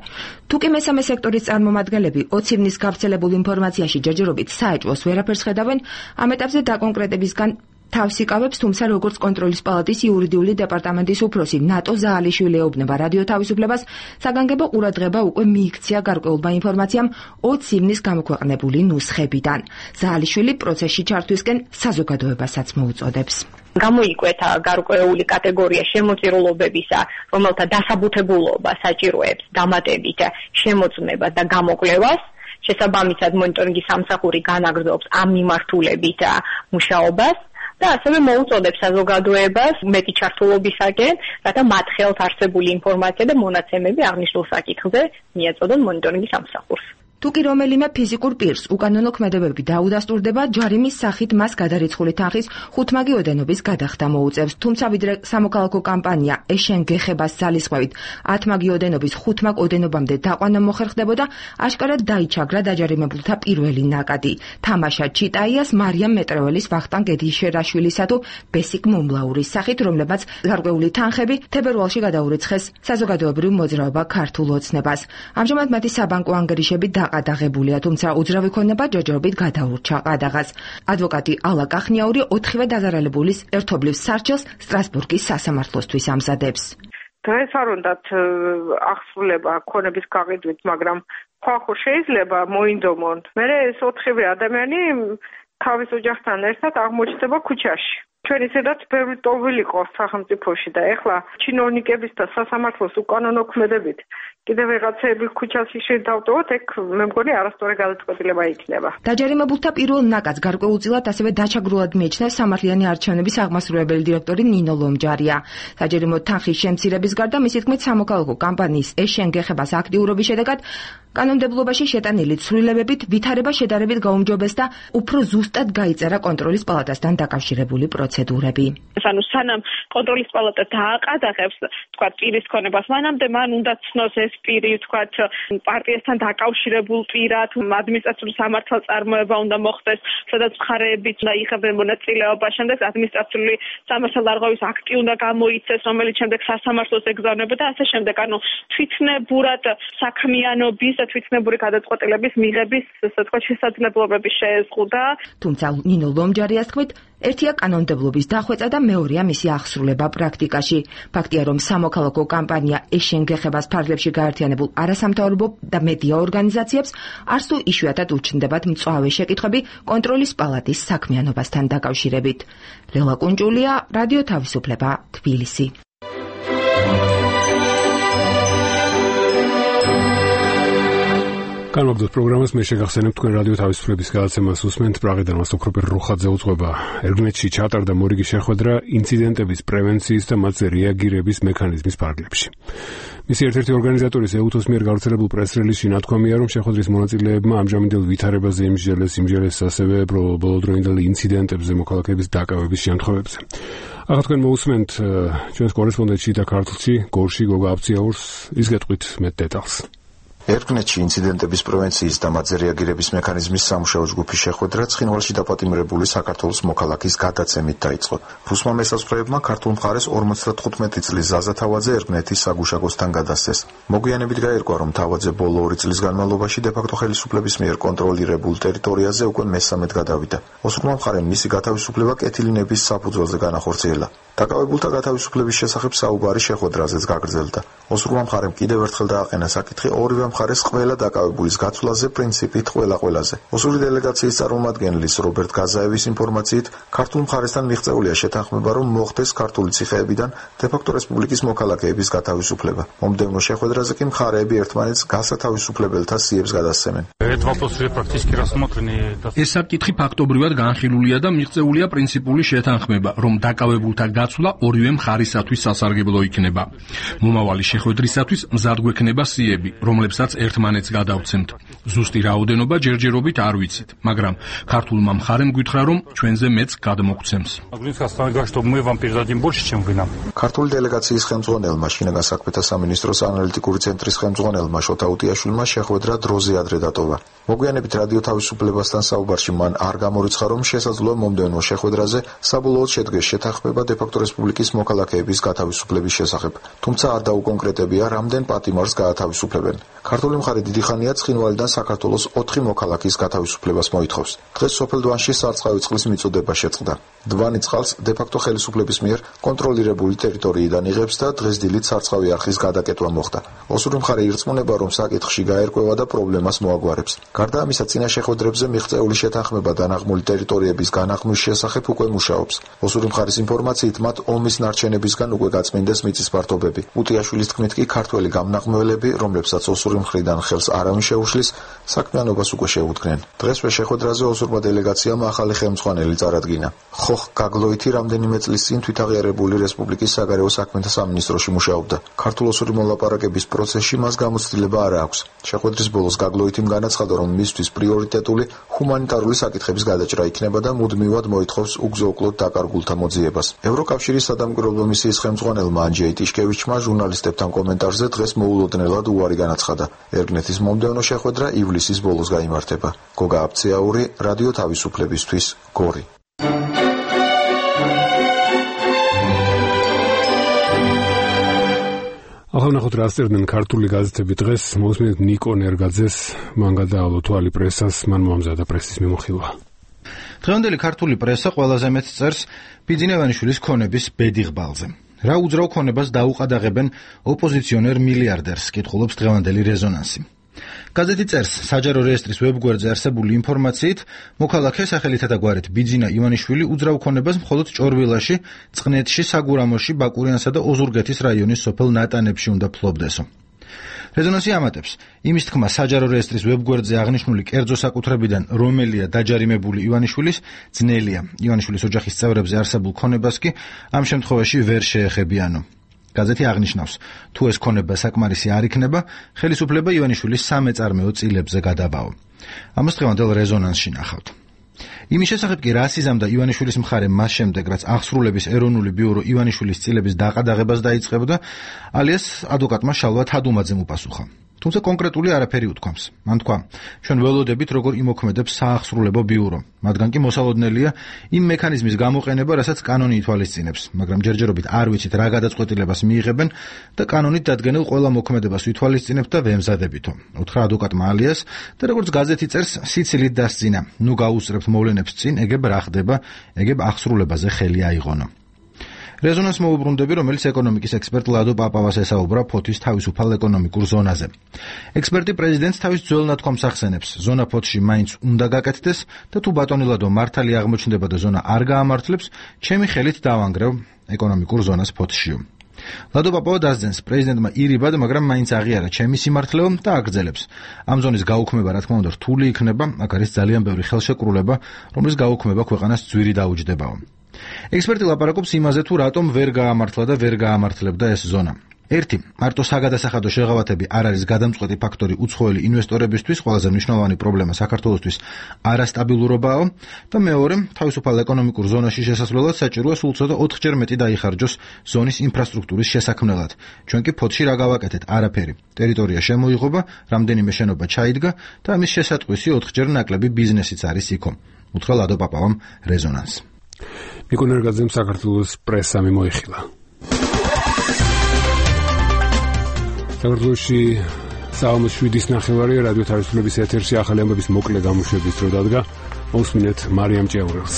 თუკი მესამე სექტორის წარმომადგენლები ოცი ივნისს გავრცელებულ ინფორმაციაში ჯერჯერობით საეჭვოს ვერაფერს ხედავენ, ამ ეტაპზე დაკონკრეტებისგან თავს იკავებს, თუმცა როგორც კონტროლის პალატის იურიდიული დეპარტამენტის უფროსი ნატო ზაალიშვილი ეუბნება რადიო თავისუფლებას, საგანგებო ყურადღება უკვე მიიქცია გარკვეულმა ინფორმაციამ ოცი ივნისს გამოქვეყნებული ნუსხებიდან. ზაალიშვილი პროცესში ჩართვისკენ საზოგადოებასაც მოუწოდებს. გამოიკვეთა გარკვეული კატეგორია შემოწირულობებისა, რომელთა დასაბუთებულობა საჭიროებს დამატებით შემოწმებას და გამოკვლევას. შესაბამისად მონიტორინგის სამსახური განაგრძობს ამ მიმართულებით მუშაობას და ასევე მოუწოდებს საზოგადოებას მეტი ჩართულობისაკენ, რათა მათ ხელთ არსებული ინფორმაცია და მონაცემები აღნიშნულ საკითხზე მიეწოდონ მონიტორინგის სამსახურს. თუკი რომელიმე ფიზიკურ პირს უკანონო ქმედებები დაუდასტურდება, ჯარიმის სახით მას გადარიცხული თანხის ხუთმაგი ოდენობის გადახდა მოუწევს, თუმცა ვიდრე სამოქალაქო კამპანია ეშენ გეხებას ძალისხმევით ათმაგი ოდენობის ხუთმაგ ოდენობამდე დაყვანა მოხერხდებოდა, აშკარად დაიჩაგრა დაჯარიმებულთა პირველი ნაკადი. თამაშა ჩიტაიას მარიამ მეტრეველის, ვახტანგ გედიშერაშვილისა თუ ბესიკ მომლაურის სახით, რომლებაც გარკვეული თანხები თებერვალში გადაურიცხეს საზოგადოებრივ მოძრაობა ქართულ ოცნებას. ამჟამად მათი საბანკო ანგარიშები დაღებულია, თუმცა უძრავი ქონება ჯერჯერობით გადაურჩა ყადაღას. ადვოკატი ალა კახნიაური ოთხივე დაზარალებულის ერთობლივ სარჩელს სტრასბურგის სასამართლოსთვის ამზადებს. დღეს არ უნდათ აღსრულება ქონების გაყიდვით, მაგრამ ხახო შეიძლება მოინდომონ. მე ეს ოთხივე ადამიანი თავის ოჯახთან ერთად აღმოჩნდება ქუჩაში. ჩვენ ისედაც ბევრი ტოვილი ყავს სახელმწიფოში და ეხლა ჩინოვნიკების და სასამართლოს უკანონო ქმედებით კიდევ ვიღაცები ქუჩაში შედავტოვოთ, ეგ მე მგონი არასწორი გადაწყვეტილება იქნება. დაჯარიმებულთა პირველ ნაკადს გარკვეულწილად ასევე დაჩაგრულად მიიჩნევს სამართლიანი არჩევნების აღმასრულებელი დირექტორი ნინო ლომჯარია. საჯარიმო თანხის შემცირების გარდა მისი თქმით სამოქალაქო კამპანიის ეშენ გეხებას აქტიურობის შედეგად კანონმდებლობაში შეტანილი ცვლილებებით ვითარება შედარებით გაუმჯობესდა და უფრო ზუსტად გაიწერა კონტროლის პალატასთან დაკავშირებული პროცედურები. ანუ სანამ კონტროლის პალატა დააყადაღებს, თქვა პირის ქონებას, მანამდე მან უნდა ცნოს ეს პირი, თქვა პარტიასთან დაკავშირებულ პირად, ადმინისტრაციული სამართალწარმოება უნდა მოხდეს, სადაც მხარეებიც უნდა იღებენ მონაწილეობა, შემდეგ ადმინისტრაციული სამართალდარღვევის აქტი უნდა გამოიცეს, რომელიც შემდეგ სასამართლოს ეგზავნებოდა და ასე შემდეგ. ანუ თვითნებურად საქმიანობის და თვითნებური გადაწყვეტილების მიღების, ასე თქვა, შესაძლებლობები შეეზღუდა. თუმცა ნინო ლომჯარიას თქმით, ერთია კანონმდებლობის დახვეწა და მეორეა მისი აღსრულება პრაქტიკაში. ფაქტია, რომ სამოქალაქო კამპანია ეშენ გეხებას ფარგლებში გაერთიანებულ არასამთავრობო და მედია ორგანიზაციებს არც თუ იშვიათად უჩნდებათ მწვავე შეკითხვები კონტროლის პალატის საქმიანობასთან დაკავშირებით. ლელა კუნჭულია, რადიო თავისუფლება, თბილისი. განმაგდოთ პროგრამას, მე შეგახსენებ თქვენ რადიო თავისუფლების გადაცემას უსმენთ. პრაღიდან მასტოკროპერ რუხაძე უძღვება. ერგნეთში ჩატარდა მორიგი შეხვედრა ინციდენტების პრევენციის და მათზე რეაგირების მექანიზმის ფარგლებში. მისი ერთ-ერთი ორგანიზატორის ეუთოს მიერ გავრცელებულ პრეს-რელიზში ნათქვამია, რომ შეხვედრის მონაწილეებმა ამჟამინდელ ვითარებაზე იმსჯელეს, იმსჯელეს ასევე ბოლოდროინდელ ინციდენტებზე მოქალაქეების დაკავების შემთხვევებზე. ახლა თქვენ მოусმენთ ჩვენს კორესპონდენტში და ქართლში, გორში გოგა აბციაურს, ის გეტყვით მეტ დეტალს. ერგნეთში ინციდენტების პრევენციის და მათზე რეაგირების მექანიზმის სამუშაო ჯგუფის შეხვედრა ცხინვალში დაპატიმრებული საქართველოს მოქალაქის გადაცემით დაიწყო. რუსმა მესაზღვრეებმა ქართულ მხარეს ორმოცდათხუთმეტი წლის ზაზა თავაძე ერგნეთის საგუშაგოსთან გადასცეს. მოგვიანებით გაირკვა, რომ თავაძე ბოლო ორი წლის განმავლობაში დე-ფაქტო ხელისუფლების მიერ კონტროლირებულ ტერიტორიაზე უკვე მესამედ გადავიდა. ოსურმა მხარემ მისი გათავისუფლება კეთილინების საფუძველზე განახორციელა. დაკავებულთა გათავისუფლების შესახებ საუბარი შეხვედრაზეც გაგრძელდა. ოსურმა მხარემ კიდევ ერთხელ დააყენა საკითხი ორივე მხარეს ყველა დაკავებულის გაცვლაზე პრინციპით ყველა ყველაზე. ოსური დელეგაციის წარმომადგენლის რობერტ გაზაევის ინფორმაციით, ქართულ მხარესთან მიღწეულია შეთანხმება, რომ მოხდეს ქართული ციხეებიდან დე-ფაქტო რესპუბლიკის მოქალაქეების გათავისუფლება. მომდევნო შეხვედრაზე კი მხარეები ერთმანეთს გასათავისუფლებელთა სიებს გადასცემენ. ეს საკითხი ფაქტობრივად განხილულია და მიღწეულია პრინციპული შეთანხმება, რომ დაკავებულთა გაცვლა ორივე მხარისათვის სასარგებლო იქნება. მომავალი შეხვედრისათვის მზად გვექნება სიები, რომლებსაც ერთმანეთს გადავცემთ. ზუსტი რაოდენობა ჯერჯერობით არ ვიცით, მაგრამ ქართულმა მხარემ გითხრა, რომ ჩვენზე მეც გადმოგცემს. ქართული დელეგაციის ხელმძღვანელმა, შინაგან საქმეთა სამინისტროს ანალიტიკური ცენტრის ხელმძღვანელმა შოთა უტიაშვილმა შეხვედრა დროზე ადრე დატოვა. მოგვიანებით რადიო თავისუფლებასთან საუბარში მან არ გამორიცხა, რომ შესაძლოა მომდევნო შეხვედრაზე საბოლოოდ შედგეს შეთანხმება დე-ფაქტო რესპუბლიკის მოქალაქეების გათავისუფლების შესახებ. თუმცა არ დაუკონკრეტებია, რამდენ პატიმარს გაათავისუფლებენ. ქართული მხარე დიდი ხანია ცხინვალიდან საქართველოს ოთხი მოქალაქის გათავისუფლებას მოითხოვს. დღეს სოფელ დვანში სარწყავი წყლის მიწოდება შეწყდა. დვანი წყალს დე-ფაქტო ხელისუფლების მიერ კონტროლირებული ტერიტორიიდან იღებს და დღეს დილით სარწყავი არხის გადაკეტვა მოხდა. ოსური მხარე ირწმუნება, რომ საკითხში გაერკვევა და პრობლემას მოაგვარებს. გარდა ამისა, წინა შეხვედრებზე მიღწეული შეთანხმება დანაღმული ტერიტორიების განაღმვის შესახებ უკვე მუშაობს. ოსური მხარის ინფორმაციით, მათ ომის ნარჩენებისგან უკვე გაწმინდეს მიწის ფართობები. უტიაშვილის თქმით კი ქართველი გამნაღმველები, რომლებსაც ოსური მხრიდან ხელს არავინ შეუშლის, საქმიანობას უკვე შეუდგნენ. დღესვე შეხვედრაზე ოსურმა დელეგაციამ ახალი ხელმძღვანელი წარადგინა. ხოხ გაგლოითი რამდენიმე წლის წინ თვითაღიარებული რესპუბლიკის საგარეო საქმეთა სამინისტროში მუშაობდა. ქართულ-ოსური მოლაპარაკების პროცესში მას გამოცდილება არ აქვს. შეხვედრის ბოლოს გაგლოითიმ განაცხადა, რომ მისთვის პრიორიტეტული ჰუმანიტარული საკითხების გადაჭრა იქნება და მუდმივად მოითხოვს უგზო-უკლოდ დაკარგულთა მოძიებას. ევროკავშირის სადამკვირვებლო მისიის ხელმძღვანელმა ანჯეი ტიშკევიჩმა ჟურნალისტებთან კომენტარზე დღეს მოულოდნელად უარი განაცხადა. ერგნეთის მომდევნო შეხვედრა ივლისის ბოლოს გაიმართება. გოგა აბციაური, რადიო თავისუფლებისთვის, გორი. ახლა ნახოთ რა წერდნენ ქართული გაზეთები დღეს. მოусმინეთ ნიკო ნერგაძეს, მან გადაავლო თვალი პრესას, მან მოამზადა პრესის მიმოხილვა. დღევანდელი ქართული პრესა ყველაზე მეტ წერს ბიძინა ივანიშვილის ქონების ბედიღბალზე. რა უძრავ ქონებას დაუყადაღებენ ოპოზიციონერ მილიარდერს, კითხულობს დღევანდელი რეზონანსი. გაზეთი წერს, საჯარო რეესტრის ვებგვერდზე არსებული ინფორმაციით, მოქალაქე სახელითა და გვარით ბიძინა ივანიშვილი უძრავ ქონებას მხოლოდ ჭორვილაში, წყნეთში, საგურამოში, ბაკურიანსა და ოზურგეთის რაიონის სოფელ ნატანებში უნდა ფლობდესო. რეზონანსი ამატებს, იმის თქმა საჯარო რეესტრის ვებგვერდზე აღნიშნული კერძო საკუთრებიდან რომელია დაჯარიმებული ივანიშვილის, ძნელია. ივანიშვილის ოჯახის წევრებზე არსებულ ქონებას კი ამ შემთხვევაში ვერ შეეხებიანო. გაზეთი აღნიშნავს, თუ ეს ქონება საკმარისი არ იქნება, ხელისუფლება ივანიშვილის სამეწარმეო წილებზე გადაბაო. ამას დღევანდელ რეზონანსში ნახავთ. იმის შესახებ კი რას იზამდა ივანიშვილის მხარე მას შემდეგ, რაც აღსრულების ეროვნული ბიურო ივანიშვილის წილების დაყადაღებას დაიწყებდა, ალიას ადვოკატმა შალვა თადუმაძემ უპასუხა. თუმცა კონკრეტული არაფერი უთქვამს. მან თქვა, ჩვენ ველოდებით როგორ იმოქმედებს საახსრულებო ბიურო, მათგან კი მოსალოდნელია იმ მექანიზმის გამოყენება, რასაც კანონი ითვალისწინებს, მაგრამ ჯერჯერობით არ ვიცით რა გადაწყვეტილებას მიიღებენ და კანონით დადგენილ ყველა მოქმედებას ვითვალისწინებთ და ვემზადებითო. უთხრა ადვოკატმა ალიას და როგორც გაზეთი წერს, სიცილით დასძინა. ნუ გაუსწრებთ მოვლენებს წინ, ეგებ რა ხდება, ეგებ აღსრულებაზე ხელი აიღონო. რეზონანს მოუბრუნდები, რომელიც ეკონომიკის ექსპერტ ლადო პაპავას ესაუბრა ფოთის თავისუფალ ეკონომიკურ ზონაზე. ექსპერტი პრეზიდენტს თავის ძველ ნათქვამს ახსენებს, ზონა ფოთში მაინც უნდა გაკეთდეს და თუ ბატონი ლადო მართალი აღმოჩნდება და ზონა არ გაამართლებს, ჩემი ხელით დავანგრევ ეკონომიკურ ზონას ფოთშიო. ლადო პაპავა დასძენს, პრეზიდენტმა ირიბად, მაგრამ მაინც აღიარა ჩემი სიმართლეო და აგრძელებს. ამ ზონის გაუქმება, რა თქმა უნდა, რთული იქნება, აქ არის ძალიან ბევრი ხელშეკრულება, რომლის გაუქმება ქვეყანას ძვირი დაუჯდებაო. ექსპერტი ლაპარაკობს იმაზე, თუ რატომ ვერ გაამართლა და ვერ გაამართლებდა ეს ზონა. ერთი, მარტო საგადასახადო შეღავათები არ არის გადამწყვეტი ფაქტორი უცხოელი ინვესტორებისთვის, ყველაზე მნიშვნელოვანი პრობლემა საქართველოსთვის არასტაბილურობაა და მეორე, თავისუფალ ეკონომიკურ ზონაში შესასვლელად საჭიროა სულ ცოტა ოთხჯერ მეტი დაიხარჯოს ზონის ინფრასტრუქტურის შესაქმნელად. ჩვენ კი ფოთში რა გავაკეთეთ? არაფერი. ტერიტორია შემოიღობა, რამდენიმე შენობა ჩაიდგა და ამის შესატყვისი ოთხჯერ ნაკლები ბიზნესიც არის იქო. უთხრა ლადო პაპავამ რეზონანს. ნიკო ნერგაძემ საქართველოს პრესამი მოიხილა. საქართველოში საომოს შვიდის ნახევარი რადიო თავისუფლების ეთერში ახალი ამბების მოკლე გამოშვების დრო დადგა. მოსმინეთ მარიამ ჭიაურელს.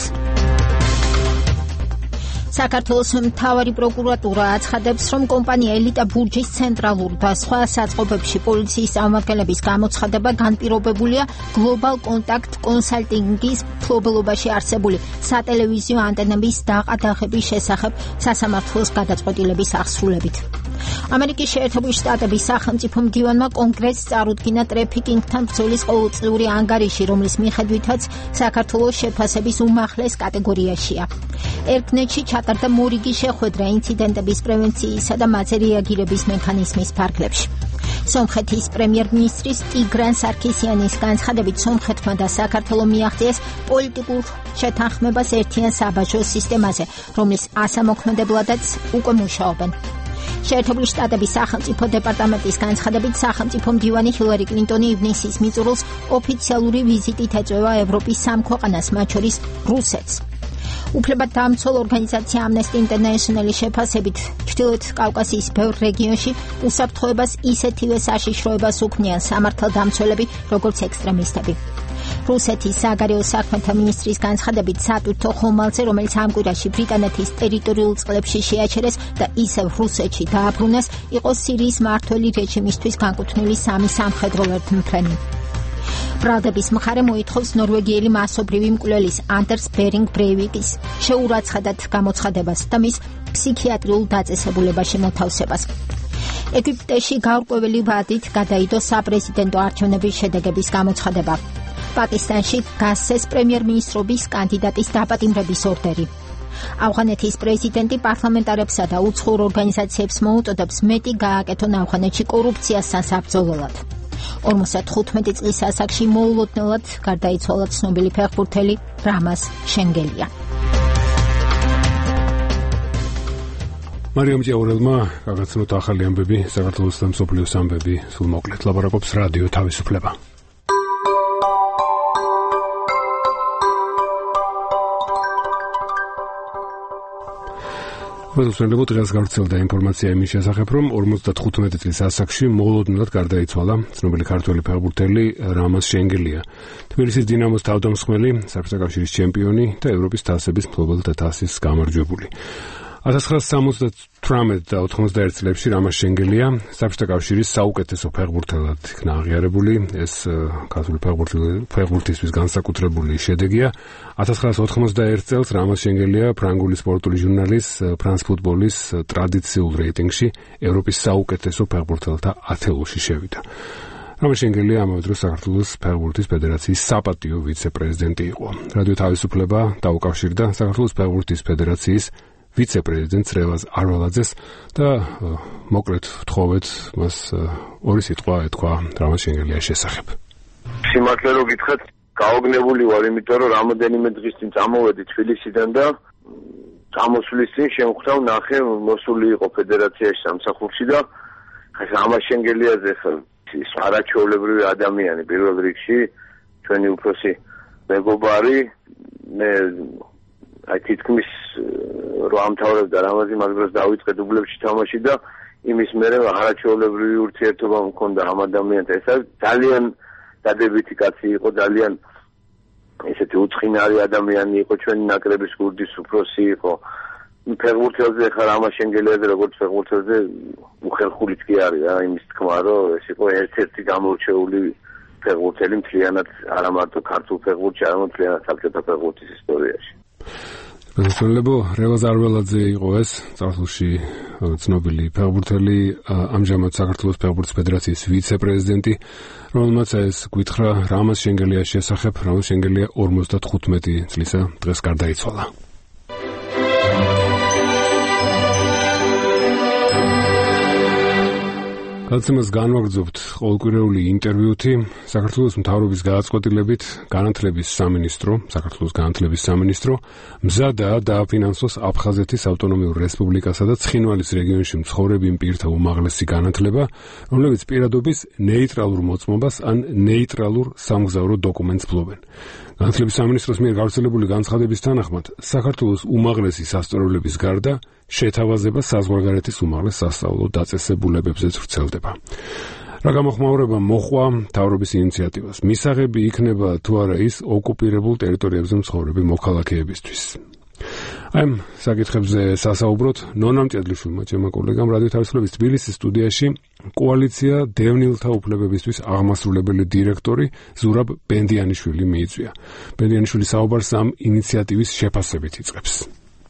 საქართველოს მთავარი პროკურატურა აცხადებს, რომ კომპანია ელიტა ბურჯის ცენტრალურ და სხვა საწყობებში პოლიციის წარმომადგენლების გამოცხადება განპირობებულია გლობალ კონტაქტ კონსალტინგის მფლობელობაში არსებული სატელევიზიო ანტენების დაყადაღების შესახებ სასამართლოს გადაწყვეტილების აღსრულებით. ამერიკის შეერთებული შტატების სახელმწიფო მდივანმა კონგრესს წარუდგინა ტრეფიკინგთან ბრძოლის ყოველწლიური ანგარიში, რომლის მიხედვითაც საქართველოს შეფასების უმაღლეს კატეგორიაშია. ერკნეტში ჩატარდა მორიგი შეხვედრა ინციდენტების პრევენციისა და მათზე რეაგირების მექანიზმის ფარგლებში. სომხეთის პრემიერ-მინისტრის ტიგრან სარქისიანის განცხადებით, სომხეთმა და საქართველომ მიაღწიეს პოლიტიკურ შეთანხმებას ერთიან საბაჟო სისტემაზე, რომლის ასამოქმედებლადაც უკვე მუშაობენ. შეერთებული შტატების სახელმწიფო დეპარტამენტის განცხადებით, სახელმწიფო მდივანი ჰილარი კლინტონი ივნისის მიწურულს ოფიციალური ვიზიტით ეწევა ევროპის სამ ქვეყანას, მათ შორის რუსეთს. უფლებადამცველ ორგანიზაცია ამნესტი ინტერნეშნალის შეფასებით, ჩრდილოეთ კავკასიის ბევრ რეგიონში უსაფრთხოებას ისეთივე საშიშროებას უქმნიან სამართალდამცველები, როგორც ექსტრემისტები. რუსეთის საგარეო საქმეთა მინისტრის განცხადებით, სატვირთო ხომალდზე, რომელიც ამ კვირაში ბრიტანეთის ტერიტორიულ წყლებში შეაჩერეს და ისევ რუსეთში დააბრუნეს, იყო სირიის მმართველი რეჟიმისთვის განკუთვნილი სამი სამხედრო ერთმფრენი. ბრალდების მხარე მოითხოვს ნორვეგიელი მასობრივი მკვლელის ანდერს ბერინგ ბრეივიკის შეურაცხადად გამოცხადებას და მის ფსიქიატრიულ დაწესებულებაში მოთავსებას. ეგვიპტეში გაურკვეველი ვადით გადაიდო საპრეზიდენტო არჩევნების შედეგების გამოცხადება. პაკისტანში გასცეს პრემიერ-მინისტრობის კანდიდატის დაპატიმრების ორდერი. ავღანეთის პრეზიდენტი პარლამენტარებსა და უცხოურ ორგანიზაციებს მოუწოდებს მეტი გააკეთონ ავღანეთში კორუფციასთან საბრძოლველად. ორმოცდახუთმეტი წლის ასაკში მოულოდნელად გარდაიცვალა ცნობილი ფეხბურთელი რამაზ შენგელია. მარიამ ჭიაურელმა გაგაცნოთ ახალი ამბები, საქართველოს და მსოფლიოს ამბები, სულ მოკლედ ლაპარაკობს რადიო თავისუფლება. მოსწონებო დღეს გავრცელდა ინფორმაცია იმის შესახებ, რომ ორმოცდახუთმეტი წლის ასაკში მოულოდნელად გარდაიცვალა ცნობილი ქართველი ფეხბურთელი რამაზ შენგელია. თბილისის დინამოს თავდამსხმელი, საბჭოთა კავშირის ჩემპიონი და ევროპის თასების მფლობელთა თასის გამარჯვებული. ათას ცხრაასი სამოცდათვრამეტ და ოთხმოცდაერთ წლებში რამაზ შენგელია საბჭოთა კავშირის საუკეთესო ფეხბურთელად იქნა აღიარებული. ეს ქართული ფეხბურთისთვის განსაკუთრებული შედეგია. ათას ცხრაასი ოთხმოცდაერთ წელს რამაზ შენგელია ფრანგული სპორტული ჟურნალის ფრანს ფუტბოლის ტრადიციულ რეიტინგში ევროპის საუკეთესო ფეხბურთელთა ათეულში შევიდა. რამაზ შენგელია ამავე დროს საქართველოს ფეხბურთის ფედერაციის საპატიო ვიცე-პრეზიდენტი იყო. რადიო თავისუფლება დაუკავშირდა საქართველოს ფეხბურთის ფედერაციის ვიცე-პრეზიდენტს რევაზ არვალაძეს და მოკლედ ვთხოვეთ მას ორი სიტყვა ეთქვა რამაზ შენგელიას შესახებ. სიმართლე რო გითხრათ, გაოგნებული ვარ, იმიტომ რომ რამოდენიმე დღის წინ წამოვედი თბილისიდან და წამოსვლის წინ შემხვდა ნახე მოსული იყო ფედერაციაში სამსახურში და რამაზ შენგელიაზე ის არაჩვეულებრივი ადამიანი პირველ რიგში, ჩვენი უფროსი მეგობარი, მე აი თითქმის რო ამთავრებდა რამაზი მაგ დროს დავიწყე დუბლებში თამაში და იმის მერე არაჩვეულებრივი ურთიერთობა მქონდა ამ ადამიანთან. ეს ძალიან დადებითი კაცი იყო, ძალიან ესეთი უცხინარი ადამიანი იყო, ჩვენი ნაკრების გუნდის უფროსი იყო. ფეხბურთელზე ხა რამაზ შენგელიაზე როგორც ფეხბურთელზე უხელხულიც კი არის რა, იმის თქმა რომ ეს იყო ერთ-ერთი გამორჩეული ფეხბურთელი მთლიანად არა მარტო ქართულ ფეხბურთში, არამედ მთლიანად საბჭოთა ფეხბურთის ისტორიაში. მოგესალმებო, რევაზ არველაძე იყო ეს, წარსულში ცნობილი ფეხბურთელი, ამჟამად საქართველოს ფეხბურთის ფედერაციის ვიცე-პრეზიდენტი, რომელმაც ეს გვითხრა რამაზ შენგელიას შესახებ, რამაზ შენგელია ორმოცდათხუთმეტი წლისა დღეს გარდაიცვალა. გადაცემას განვაგრძობთ ყოველკვირეული ინტერვიუთი საქართველოს მთავრობის გადაწყვეტილებით განათლების სამინისტრო, საქართველოს განათლების სამინისტრო მზადაა დააფინანსოს აფხაზეთის ავტონომიურ რესპუბლიკასა და ცხინვალის რეგიონში მცხოვრები პირთა უმაღლესი განათლება, რომლებიც პირადობის ნეიტრალურ მოწმობას ან ნეიტრალურ სამგზავრო დოკუმენტს ფლობენ. განათლების სამინისტროს მიერ გავრცელებული განცხადების თანახმად, საქართველოს უმაღლესი სასწავლებლების გარდა შეთავაზება საზღვარგარეთის უმაღლეს სასწავლო დაწესებულებებზეც ვრცელდება. რა გამოხმაურება მოჰყვა მთავრობის ინიციატივას? მისაღები იქნება თუ არა ის ოკუპირებულ ტერიტორიებზე მცხოვრები მოქალაქეებისთვის? აი ამ საკითხებზე სასაუბროთ ნონა მჭედლიშვილმა, ჩემმა კოლეგამ რადიო თავისუფლების თბილისის სტუდიაში კოალიცია დევნილთა უფლებებისთვის აღმასრულებელი დირექტორი ზურაბ ბენდიანიშვილი მიიწვია. ბენდიანიშვილი საუბარს ამ ინიციატივის შეფასებით იწყებს.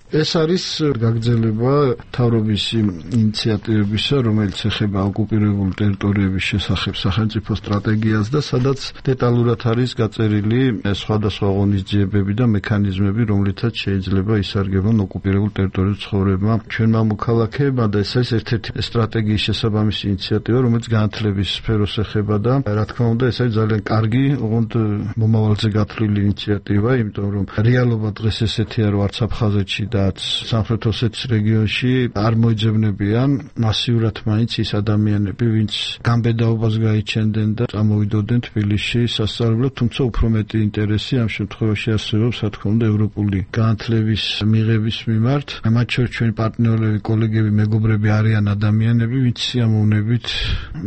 ეს არის გაგრძელება მთავრობის ინიციატივებისა, რომელიც ეხება ოკუპირებულ ტერიტორიების შესახებ სახელმწიფო სტრატეგიას და სადაც დეტალურად არის გაწერილი სხვადასხვა ღონისძიებები და მექანიზმები, რომლითაც შეიძლება ისარგებლონ ოკუპირებულ ტერიტორიებზე ცხოვრებმა ჩვენმა მოქალაქეებმა და ეს არის ერთ-ერთი სტრატეგიის შესაბამისი ინიციატივა, რომელიც განათლების სფეროს ეხება და რა თქმა უნდა ეს არის ძალიან კარგი, ოღონდ მომავალზე გათვლილი ინიციატივა, იმიტომ რომ რეალობა დღეს ესეთია, რომ არც აფხაზეთში და სამხრეთ ოსეთის რეგიონში არ მოიძებნებიან მასიურად მაინც ის ადამიანები, ვინც გამბედაობას გაიჩენდნენ და წამოვიდოდნენ თბილისში სასწავლებლად, თუმცა უფრო მეტი ინტერესი ამ შემთხვევაში არსებობს, რა თქმა უნდა, ევროპული განათლების მიღების მიმართ. მათ შორის ჩვენი პარტნიორები, კოლეგები, მეგობრები არიან ადამიანები, ვინც სიამოვნებით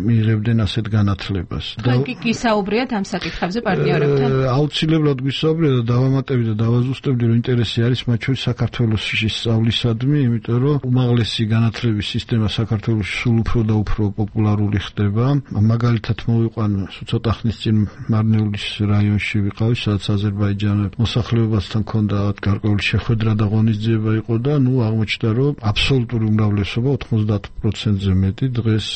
მიიღებდნენ ასეთ განათლებას. თქვენ კი გისაუბრიათ ამ საკითხებზე პარტნიორებთან? აუცილებლად გვისაუბრია და დავამატებდი და დავაზუსტებდი, რომ ინტერესი არის მათ შორის საქართველოს სწავლისადმი, იმიტომ რომ უმაღლესი განათლების სისტემა საქართველოში სულ უფრო და უფრო პოპულარული ხდება. მაგალითად მოვიყვან ცოტა ხნის წინ მარნეულის რაიონში ვიყავი, სადაც აზერბაიჯანელ მოსახლეობასთან ჰქონდა გარკვეული შეხვედრა და ღონისძიება იყო და ნუ აღმოჩნდა, რომ აბსოლუტური უმრავლესობა ოთხმოცდაათ პროცენტზე მეტი დღეს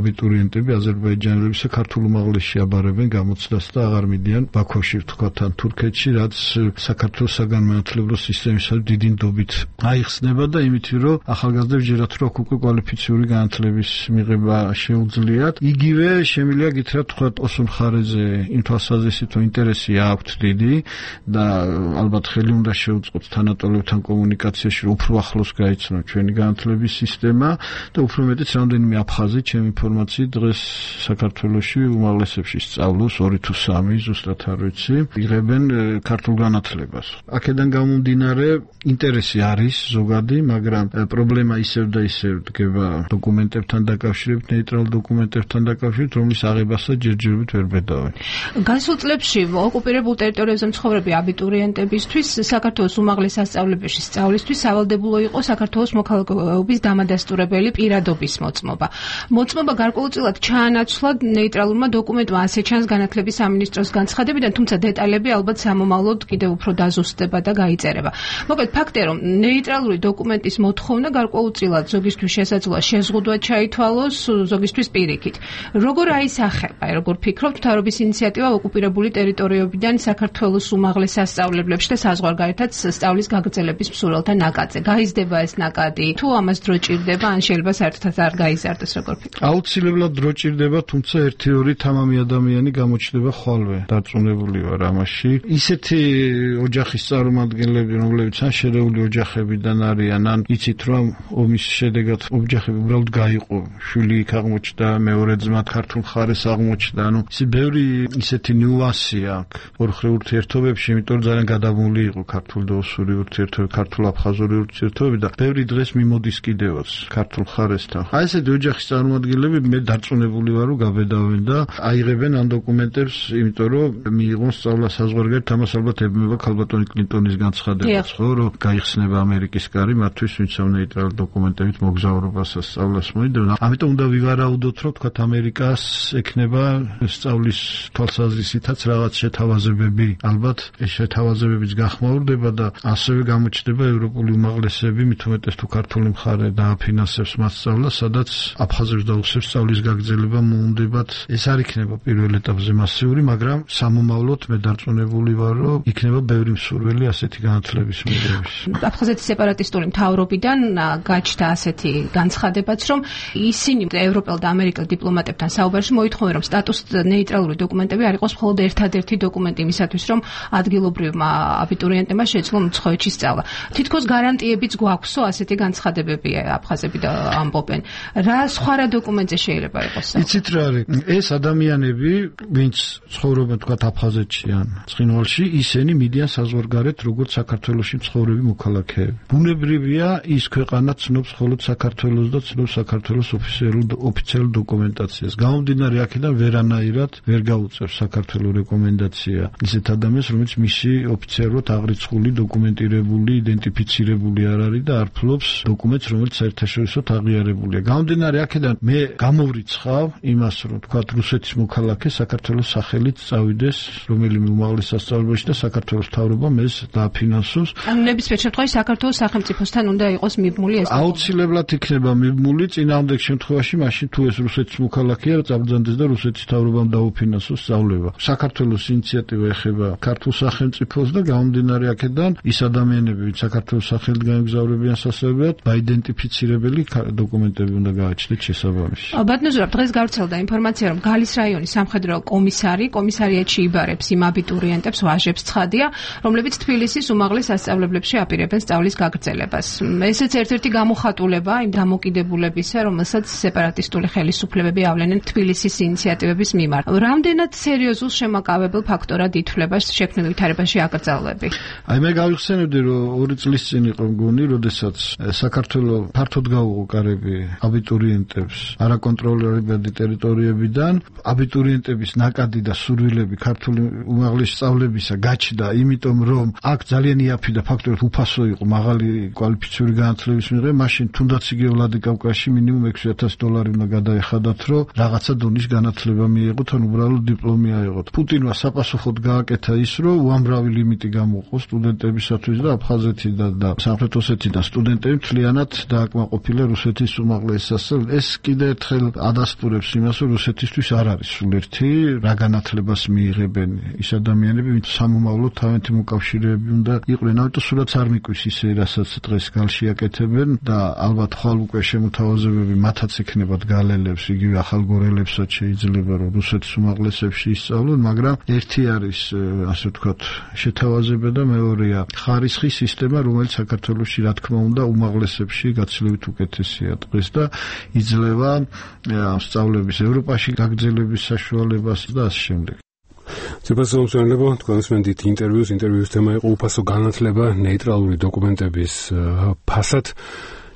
აბიტურიენტები აზერბაიჯანელებისა ქართულ უმაღლესში აბარებენ გამოცდას და აღარ მიდიან ბაქოში, ვთქვათ, ან თურქეთში, რაც საქართველოს საგანმანათლებლო სისტემისათვის დიდი ნდობით აიხსნება და იმითი, რომ ახალგაზრდებს ჯერათ რომ უკვე კვალიფიციური განათლების მიღება შეუძლიათ. იგივე შემიძლია გითხრათ, თქვათ, ოსურ მხარეზე იმ თვალსაზრისით, რომ ინტერესი აქვთ დიდი და ალბათ ხელი უნდა შეუწყოთ თანატოლებთან კომუნიკაციაში, რომ უფრო ახლოს გაიცნოთ ჩვენი განათლების სისტემა და უფრო მეტიც რამდენიმე აფხაზი, ჩემი ინფორმაციით, დღეს საქართველოში უმაღლესებში სწავლობს ორი თუ სამი, ზუსტად არ ვიცი, იღებენ ქართულ განათლებას. აქედან გამომდინარე ინტერესი არის ზოგადი, მაგრამ პრობლემა ისევ და ისევ დგება დოკუმენტებთან დაკავშირებით, ნეიტრალურ დოკუმენტებთან დაკავშირებით, რომლის აღებასაც ჯერჯერობით ვერ ბედავენ. გასულ წლებში ოკუპირებულ ტერიტორიებზე მცხოვრები აბიტურიენტებისთვის საქართველოს უმაღლეს სასწავლებელში სწავლისთვის სავალდებულო იყო საქართველოს მოქალაქეობის დამადასტურებელი პირადობის მოწმობა. მოწმობა გარკვეულწილად ჩაანაცვლა ნეიტრალურმა დოკუმენტმა, ასე ჩანს განათლების სამინისტროს განცხადებიდან, თუმცა დეტალები ალბათ სამომავლოდ კიდევ უფრო დაზუსტდება და გაიწერება. მოკლედ ფაქტია, რომ ნეიტრალური დოკუმენტის მოთხოვნა გარკვეულწილად ზოგისთვის შესაძლოა შეზღუდვა ჩაითვალოს, ზოგისთვის პირიქით. როგორ აისახება, როგორ ფიქრობთ, მთავრობის ინიციატივა ოკუპირებული ტერიტორიებიდან საქართველოს უმაღლეს სასწავლებლებში და საზღვარგარეთაც სწავლის გაგრძელების მსურველთა ნაკადზე? გაიზრდება ეს ნაკადი? თუ ამას დრო ჭირდება, ან შეიძლება საერთოდ არ გაიზარდეს, როგორ ფიქრობთ? აუცილებლად დრო ჭირდება, თუმცა ერთი-ორი თამამი ადამიანი გამოჩნდება ხვალვე. დარწმუნებული ვარ ამაში. ისეთი ოჯახის წარმომადგენლები, რომლებიც ან შერეული ოჯახებიდან არიან, ან იცით რომ ომის შედეგად ოჯახები უბრალოდ გაიყო, შვილი იქ აღმოჩნდა, მეორე ძმა ქართულ მხარეს აღმოჩნდა, ანუ ისე ბევრი ისეთი ნიუანსი აქვს ორხრივ ურთიერთობებში, იმიტომ რომ ძალიან გადამული იყო ქართულ და ოსური ურთიერთობები, ქართულ-აფხაზური ურთიერთობები და ბევრი დღეს მიმოდის კიდევაც ქართულ მხარესთან. აი ესეთი ოჯახის წარმომადგენლები მე დარწმუნებული ვარ, რომ გაბედავენ და აიღებენ ამ დოკუმენტებს, იმიტომ რომ მიიღონ სწავლა საზღვარგარეთ, ამას ალბათ ებმება ქალბატონი კლინტონის განცხადებაც, ხო, რომ გაიხსნება იქნება ამერიკის კარი მათთვის, ვინც ამ ნეიტრალურ დოკუმენტებით მოგზაურობას სწავლას მოიდება. ამიტომ უნდა ვივარაუდოთ, რომ თქვათ ამერიკას ექნება სწავლის თვალსაზრისითაც რაღაც შეთავაზებები. ალბათ ეს შეთავაზებებიც გახმაურდება და ასევე გამოჩნდება ევროპული უმაღლესები, მით უმეტეს თუ ქართული მხარე დააფინანსებს მათ სწავლას, სადაც აფხაზებს დაუხსებს სწავლის გაგრძელება მოუნდებათ. ეს არ იქნება პირველ ეტაპზე მასიური, მაგრამ სამომავლოდ მე დარწმუნებული ვარ, რომ იქნება ბევრი მსურველი ასეთი განათლების მიღების. აფხაზეთის სეპარატისტული მთავრობიდან გაჩნდა ასეთი განცხადებაც, რომ ისინი ევროპელ და ამერიკელ დიპლომატებთან საუბარში მოითხოვენ, რომ სტატუს ნეიტრალური დოკუმენტები არ იყოს მხოლოდ ერთადერთი დოკუმენტი იმისათვის, რომ ადგილობრივმა აბიტურიენტებმა შეძლო მცხოეთში სწავლა. თითქოს გარანტიებიც გვაქვსო ასეთი განცხადებები აფხაზები და ამბობენ. რა სხვა რა დოკუმენტზე შეიძლება იყოს? იცით რა არის? ეს ადამიანები, ვინც ცხოვრობენ თქვათ აფხაზეთში ან ცხინვალში, ისინი მიდიან საზღვარგარეთ როგორც საქართველოში მცხოვრები მოქალაქეები. ბუნებრივია ის ქვეყანა ცნობს მხოლოდ საქართველოს და ცნობს საქართველოს ოფიციალურ ოფიციალურ დოკუმენტაციას. გამომდინარე აქედან ვერანაირად ვერ გაუწევს საქართველოს რეკომენდაცია ისეთ ადამიანს, რომელიც მისი ოფიციალურად აღრიცხული, დოკუმენტირებული, იდენტიფიცირებული არ არის და არ ფლობს დოკუმენტს, რომელიც საერთაშორისოდ აღიარებულია. გამომდინარე აქედან მე გამოვრიცხავ იმას, რომ თქვათ რუსეთის მოქალაქე საქართველოს სახელით წავიდეს რომელიმე უმაღლეს სასწავლებელში და საქართველოს მთავრობამ ეს დააფინანსოს. ანუ ნებისმიერ შემთხვევაში საქართველოს სახელმწიფოსთან უნდა იყოს მიბმული ეს. აუცილებლად იქნება მიბმული წინააღმდეგ შემთხვევაში, მაშინ თუ ეს რუსეთის მოქალაქეა, წაბრძანდეს და რუსეთის მთავრობამ დაუფინანსოს სწავლება. საქართველოს ინიციატივა ეხება ქართულ სახელმწიფოს და გამომდინარე აქედან ის ადამიანები, ვინც საქართველოს სახელით გაემგზავრებიან სასწავლებლად, დაიდენტიფიცირებელი დოკუმენტები უნდა გააჩნდეთ შესაბამისი. ბატონო ზურაბ, დღეს გავრცელდა ინფორმაცია, რომ გალის რაიონის სამხედრო კომისარი კომისარიატში იბარებს იმ აბიტურიენტებს, ვაჟებს ცხადია, რომლებიც თბილისის უმაღლეს სასწავლებლებში აპირებენ სწავლის გაგრძელებას. ესეც ერთ-ერთი გამოხატულება იმ დამოკიდებულებისა, რომელსაც სეპარატისტული ხელისუფლებები ავლენენ თბილისის ინიციატივების მიმართ. რამდენად სერიოზულ შემაკავებელ ფაქტორად ითვლება შექმნილ ვითარებაში აკრძალვები? აი მე გავიხსენებდი, რომ ორი წლის წინ იყო მგონი, როდესაც საქართველოს ფართოდ გაუყარები აბიტურიენტებს არაკონტროლირებადი ტერიტორიებიდან, აბიტურიენტების ნაკადი და სურვილები ქართული უმაღლესი სწავლებისა გაჩნდა, იმიტომ რომ აქ ძალიან იაფი და ფაქტორად უფასო იყო მაღალი კვალიფიციური განათლების მიღება, მაშინ თუნდაც იგივე ვლადიკავკაზში მინიმუმ ექვსი ათასი დოლარი უნდა გადაეხადათ, რომ რაღაცა დონის განათლება მიიღოთ, ან უბრალოდ დიპლომი აიღოთ. პუტინმა საპასუხოდ გააკეთა ის, რომ უამრავი ლიმიტი გამოყო სტუდენტებისათვის და აფხაზეთიდან და სამხრეთ ოსეთიდან სტუდენტები მთლიანად დააკმაყოფილა რუსეთის უმაღლეს სასწავლებლად. ეს კიდე ერთხელ ადასტურებს იმას, რომ რუსეთისთვის არ არის სულ ერთი რა განათლებას მიიღებენ ის ადამიანები, ვინც სამომავლოდ თავენთი მოკავშირეები უნდა იყვნენ. ამიტომ სულაც არ მიკვის ისე, რასაც დღეს გალში აკეთებენ და ალბათ ხვალ უკვე შემოთავაზებები მათაც ექნებათ გალელებს, იგივე ახალგორელებსაც შეიძლება რომ რუსეთის უმაღლესებში ისწავლონ, მაგრამ ერთი არის ასე ვთქვათ შეთავაზება და მეორეა ხარისხის სისტემა, რომელიც საქართველოში რა თქმა უნდა უმაღლესებში გაცილებით უკეთესია დღეს და იძლევა სწავლების ევროპაში გაგრძელების საშუალებას და ასე შემდეგ. ციფრასო მსმენელებო, თქვენს მენდით ინტერვიუს, ინტერვიუს თემა იყო უფასო განათლება ნეიტრალური დოკუმენტების ფასად.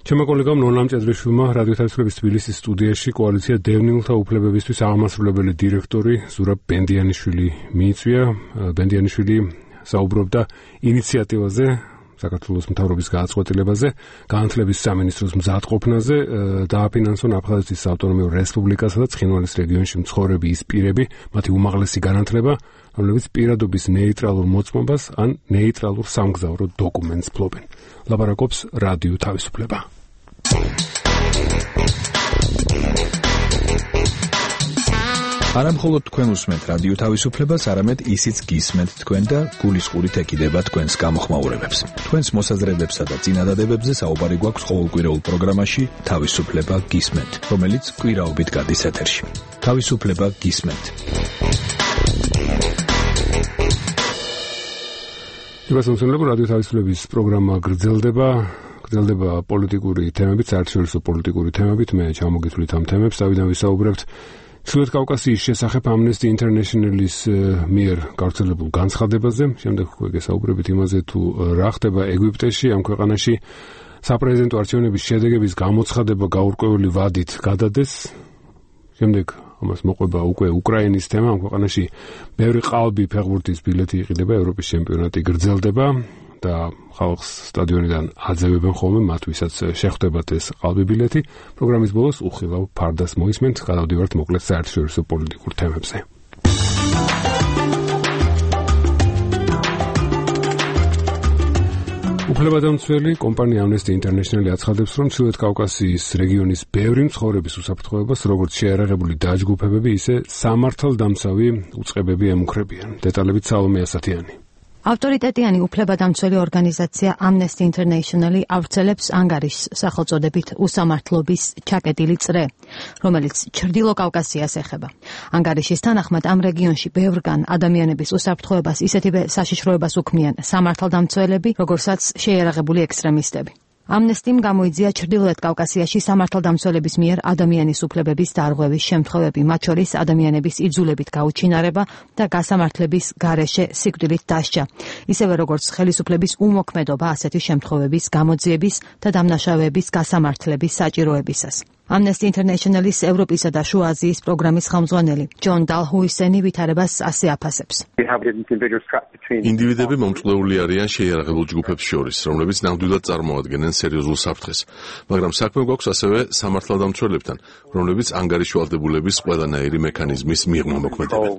ჩემო კოლეგამ ნონამ ჭედრიშვილმა რადიო თავისუფლების თბილისის სტუდიაში კოალიცია დევნილთა უფლებებისთვის აღმასრულებელი დირექტორი ზურაბ ბენდიანიშვილი მიიწვია. ბენდიანიშვილი საუბრობდა ინიციატივაზე, საქართველოს მთავრობის გააცვეთილებაზე, განათლების სამინისტროს მზადყოფნაზე, დააფინანსონ აფხაზეთის ავტონომიურ რესპუბლიკასა და ცხინვალის რეგიონში მცხოვრები ის პირები, მათი უმაღლესი განათლება, რომლებიც პირადობის ნეიტრალურ მოწმობას ან ნეიტრალურ სამგზავრო დოკუმენტს ფლობენ. ლაპარაკობს რადიო თავისუფლება. არა მხოლოდ თქვენ უსმენთ რადიო თავისუფლებას, არამედ ისიც გისმენთ თქვენ და გულისყურით ეკიდება თქვენს გამოხმაურებებს. თქვენს მოსაზრებებსა და წინადადებებზე საუბარი გვაქვს ყოველკვირეულ პროგრამაში თავისუფლება გისმენთ, რომელიც კვირაობით გადის ეთერში. თავისუფლება გისმენთ. თვითონ რადიო თავისუფლების პროგრამა გრძელდება, გრძელდება პოლიტიკური თემებით, საერთაშორისო პოლიტიკური თემებით. მე ჩამოგითვლით ამ თემებს, თავიდან ვისაუბრებთ ჩრდილოეთ კავკასიის შესახებ Amnesty International-ის მიერ გავრცელებულ განცხადებაზე. შემდეგ უკვე გესაუბრებით იმაზე, თუ რა ხდება ეგვიპტეში, ამ ქვეყანაში საპრეზიდენტო არჩევნების შედეგების გამოცხადება გაურკვეველი ვადით გადადეს. შემდეგ ამას მოყვება უკვე უკრაინის თემა, ამ ქვეყანაში ბევრი ყალბი ფეხბურთის ბილეთი იყიდება, ევროპის ჩემპიონატი გრძელდება. და ხალხს სტადიონიდან აძევებენ ხოლმე მათ, ვისაც შეხვდებათ ეს ყალბი ბილეთი. პროგრამის ბოლოს უხილავ ფარდას მოისმენთ, გადავდივართ მოკლედ საერთაშორისო პოლიტიკურ თემებზე. უფლებადამცველი კომპანია Amnesty International აცხადებს, რომ ჩრდილოეთ კავკასიის რეგიონის ბევრი მცხოვრების უსაფრთხოებას როგორც შეიარაღებული დაჯგუფებები, ისე სამართალდამცავი უწყებები ემუქრებიან. დეტალებით სალომე ასათიანი. ავტორიტეტიანი უფლებადამცველი ორგანიზაცია Amnesty International ავრცელებს ანგარიშს სახელწოდებით უსამართლობის ჩაკეტილი წრე, რომელიც ჩრდილო კავკასიას ეხება. ანგარიშის თანახმად ამ რეგიონში ბევრგან ადამიანების უსაფრთხოებას ისეთივე საშიშროებას უქმნიან სამართალდამცველები, როგორცაც შეიარაღებული ექსტრემისტები. Amnesty-მ გამოიძია ჩრდილოეთ კავკასიაში სამართალდამცველების მიერ ადამიანის უფლებების დარღვევის შემთხვევები, მათ შორის ადამიანების იძულებით გაუჩინარება და გასამართლების გარეშე სიკვდილით დასჯა, ისევე როგორც ხელისუფლების უმოქმედობა ასეთი შემთხვევების გამოძიების და დამნაშავეების გასამართლების საჭიროებისას. Amnesty International-ის ევროპისა და შუა აზიის პროგრამის ხელმძღვანელი ჯონ დალჰუისენი ვითარებას ასე აფასებს. ინდივიდები მომწყვდეული არიან შეიარაღებულ ჯგუფებს შორის, რომლებიც ნამდვილად წარმოადგენენ სერიოზულ საფრთხეს, მაგრამ საქმე გვაქვს ასევე სამართალდამცველებთან, რომლებიც ანგარიშვალდებულების ყველანაირი მექანიზმის მიღმა მოქმედებენ.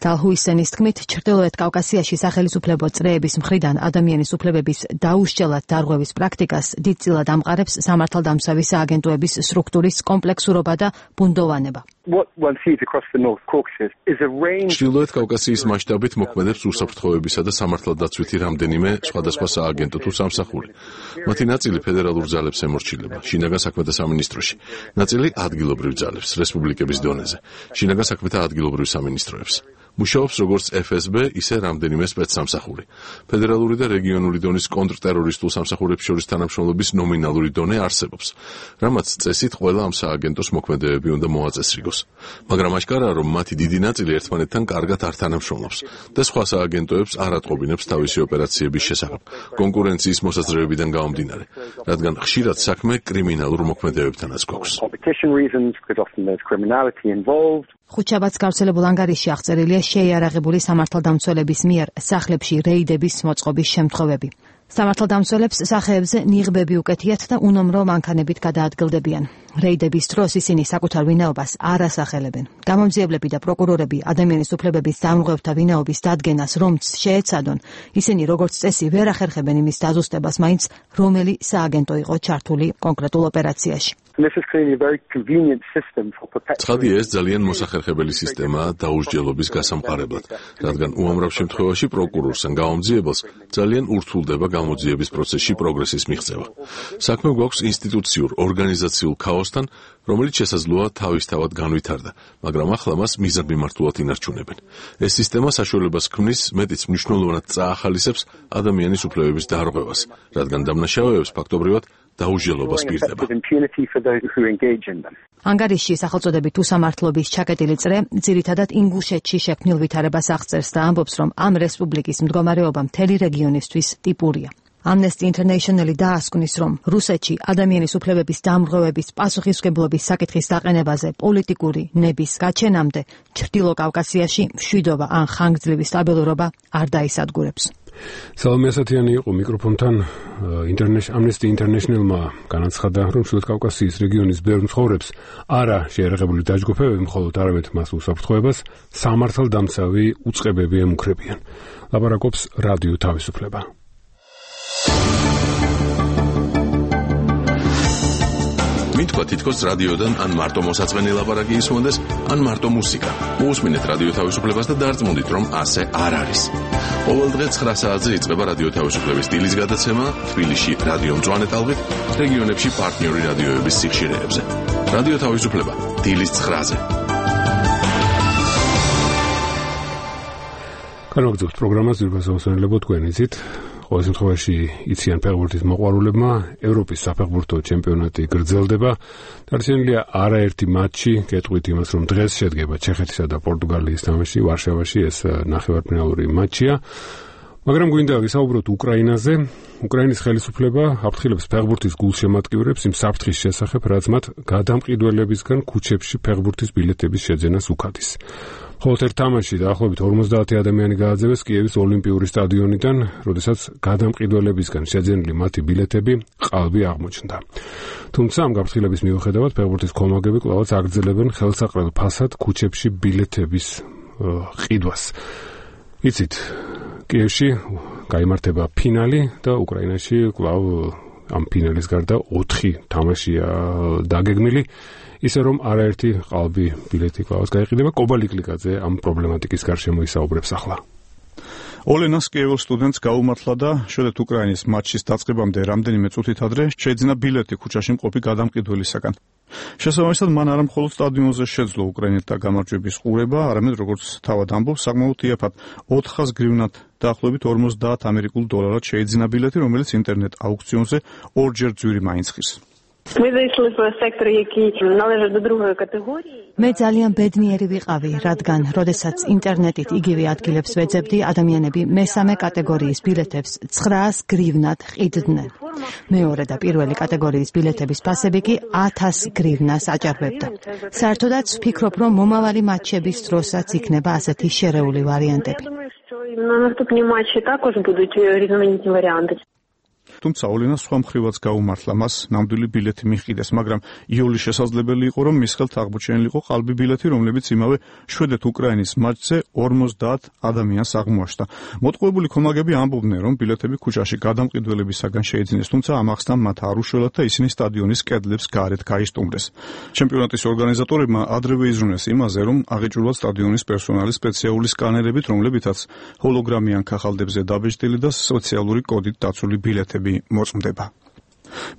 დალჰუისენის თქმით, ჩრდილოეთ კავკასიაში სახელისუფლებო წრეების მხრიდან ადამიანის უფლებების დაუსჯელად დარღვევის პრაქტიკას დიდწილად ამყარებს სამართალდამცავი აგენტოების სტრუქტურის კომპლექსურობა და ბუნდოვანება. ჩრდილოეთ კავკასიის მასშტაბით მოქმედებს უსაფრთხოებისა და სამართალდაცვითი რამდენიმე სხვადასხვა სააგენტო თუ სამსახური. მათი ნაწილი ფედერალურ ძალებს ემორჩილება, შინაგან საქმეთა სამინისტროში, ნაწილი ადგილობრივ ძალებს, რესპუბლიკების დონეზე, შინაგან საქმეთა ადგილობრივ სამინისტროებს. მუშაობს როგორც F S B, ისე რამდენიმე სპეცსამსახური. ფედერალური და რეგიონული დონის კონტრტერორისტულ სამსახურებს შორის თანამშრომლობის ნომინალური დონე არსებობს, რამაც წესით ყველა ამ სააგენტოს მოქმედებები უნდა მოაწესრიგოს. მაგრამ აშკარაა, რომ მათი დიდი ნაწილი ერთმანეთთან კარგად არ თანამშრომლობს და სხვა სააგენტოებს არ ატყობინებს თავისი ოპერაციების შესახებ, კონკურენციის მოსაზრებებიდან გამომდინარე, რადგან ხშირად საქმე კრიმინალურ მოქმედებებთანაც გვაქვს. ხუთშაბათს გავრცელებულ ანგარიშში აღწერილია შეიარაღებული სამართალდამცველების მიერ სახლებში რეიდების მოწყობის შემთხვევები. სამართალდამცველებს სახეებზე ნიღბები უკეთიათ და უნომრო მანქანებით გადაადგილდებიან. რეიდების დროს ისინი საკუთარ ვინაობას არ ასახელებენ. გამომძიებლები და პროკურორები ადამიანის უფლებების დამრღვევთა ვინაობის დადგენას რომც შეეცადონ, ისინი როგორც წესი ვერ ახერხებენ იმის დაზუსტებას, მაინც რომელი სააგენტო იყო ჩართული კონკრეტულ ოპერაციაში. ცხადია, ეს ძალიან მოსახერხებელი სისტემაა დაუსჯელობის გასამყარებლად, რადგან უამრავ შემთხვევაში პროკურორს ან გამომძიებელს ძალიან ურთულდება გამოძიების პროცესში პროგრესის მიღწევა. საქმე გვაქვს ინსტიტუციურ, ორგანიზაციულ ქაოსთან, რომელიც შესაძლოა თავისთავად განვითარდა, მაგრამ ახლა მას მიზანმიმართულად ინარჩუნებენ. ეს სისტემა საშუალებას ქმნის, მეტიც მნიშვნელოვნად წაახალისებს ადამიანის უფლებების დარღვევას, რადგან დამნაშავეებს ფაქტობრივად დაუსჯელობას პირდება. ანგარიშში სახელწოდებით უსამართლობის ჩაკეტილი წრე ძირითადად ინგუშეთში შექმნილ ვითარებას აღწერს და ამბობს, რომ ამ რესპუბლიკის მდგომარეობა მთელი რეგიონისთვის ტიპურია. Amnesty International დაასკვნის, რომ რუსეთში ადამიანის უფლებების დამრღვევების პასუხისმგებლობის საკითხის დაყენებაზე პოლიტიკური ნების გაჩენამდე ჩრდილო კავკასიაში მშვიდობა ან ხანგრძლივი სტაბილურობა არ დაისადგურებს. სალომე ასათიანი იყო მიკროფონთან. Amnesty International-მა განაცხადა, რომ ჩრდილოეთ კავკასიის რეგიონის ბევრ მცხოვრებს არა შეიარაღებული დაჯგუფებები, მხოლოდ არამედ მას უსაფრთხოებას სამართალდამცავი უწყებები ემუქრებიან. ლაპარაკობს რადიო თავისუფლება. მითქვა თითქოს რადიოდან ან მარტო მოსაწყენი ლაპარაკი ისმოდეს, ან მარტო მუსიკა. მოусმინეთ რადიო თავისუფლებას და დარწმუნდით, რომ ასე არ არის. ყოველ დღე ცხრა საათზე იწყება რადიო თავისუფლების დილის გადაცემა თბილისში რადიო მწვანე ტალღით, რეგიონებში პარტნიორი რადიოების სიხშირეებზე. რადიო თავისუფლება დილის ცხრაზე. განვაგრძობთ პროგრამას ძირფასაოსანლებო თქვენი იცით. ყოველ შემთხვევაში იციან ფეხბურთის მოყვარულებმა, ევროპის საფეხბურთო ჩემპიონატი გრძელდება. დარჩენილია არაერთი მატჩი, გეტყვით იმას, რომ დღეს შედგება ჩეხეთისა და პორტუგალიის თამაში ვარშავაში, ეს ნახევარფინალური მატჩია. მაგრამ გვინდა ვისაუბროთ უკრაინაზე. უკრაინის ხელისუფლება აფრთხილებს ფეხბურთის გულშემატკივრებს იმ საფრთხის შესახებ, რაც მათ გადამყიდველებისგან ქუჩებში ფეხბურთის ბილეთების შეძენას უქადის. ხოლო ერთ თამაშში დაახლოებით ორმოცდაათი ადამიანი გააძევეს კიევის ოლიმპიური სტადიონიდან, როდესაც გადამყიდველებისგან შეძენილი მათი ბილეთები ყალბი აღმოჩნდა. თუმცა ამ გაფრთხილების მიუხედავად ფეხბურთის კომაგები კვლავაც აგრძელებენ ხელსაყრელ ფასად ქუჩებში ბილეთების ყიდვას. იცით, კიევში გაიმართება ფინალი და უკრაინაში კვლავ ამ ფინალის გარდა ოთხი თამაშია დაგეგმილი, ისე რომ არაერთი ყალბი ბილეთი კვლავაც გაიყიდება. კობალიკლიკაძე ამ პრობლემატიკის გარშემო ისაუბრებს ახლა. ოლენას კიევის სტუდენტს გაუმართლა და შედეთ უკრაინის მატჩის დაწყებამდე რამდენიმე წუთით ადრე შეიძინა ბილეთი ქუჩაში მყოფი გადამყიდველისაგან. შესაბამისად, მან არა მხოლოდ სტადიონზე შეძლო უკრაინელთა გამარჯვების ყურება, არამედ როგორც თავად ამბობს, საკმაოდ იაფად ოთხას გრივნად დაახლოებით ორმოცდაათ ამერიკულ დოლარად შეიძინა ბილეთი, რომელიც ინტერნეტ აუქციონზე ორჯერ ძვირი მაინც ხის. მე ძალიან ბედნიერი ვიყავი, რადგან, როდესაც ინტერნეტით იგივე ადგილებს ვეძებდი, ადამიანები მესამე კატეგორიის ბილეთებს ცხრაას გრივნად ყიდდნენ. მეორე და პირველი კატეგორიის ბილეთების ფასები კი ათას გრივნას აჭარბებდა. საერთოდაც ვფიქრობ, რომ მომავალი მატჩების დროსაც იქნება ასეთი შერეული ვარიანტები. თუმცა ოლენა სხვა მხრივაც გაუმართლა, მას ნამდვილი ბილეთი მიჰყიდეს, მაგრამ იოლი შესაძლებელი იყო, რომ მის ხელთ აღმოჩენილიყო ყალბი ბილეთი, რომლებიც იმავე შვედეთ უკრაინის მატჩზე ორმოცდაათ ადამიანს აღმოაჩნდა. მოტყუებული კომაგები ამბობდნენ, რომ ბილეთები ქუჩაში გადამყიდველებისაგან შეიძინეს, თუმცა ამახსნამ მათ არ უშველათ და ისინი სტადიონის კედლებს გარეთ გაისტუმრეს. ჩემპიონატის ორგანიზატორებმა ადრევე იზრუნეს იმაზე, რომ აღიჭურვათ სტადიონის პერსონალის სპეციალური სკანერებით, რომლებითაც ჰოლოგრამიან ქაღალდებზე დაბეჭდილი და სოციალური კოდით დაცული ბილეთები მოწმდება.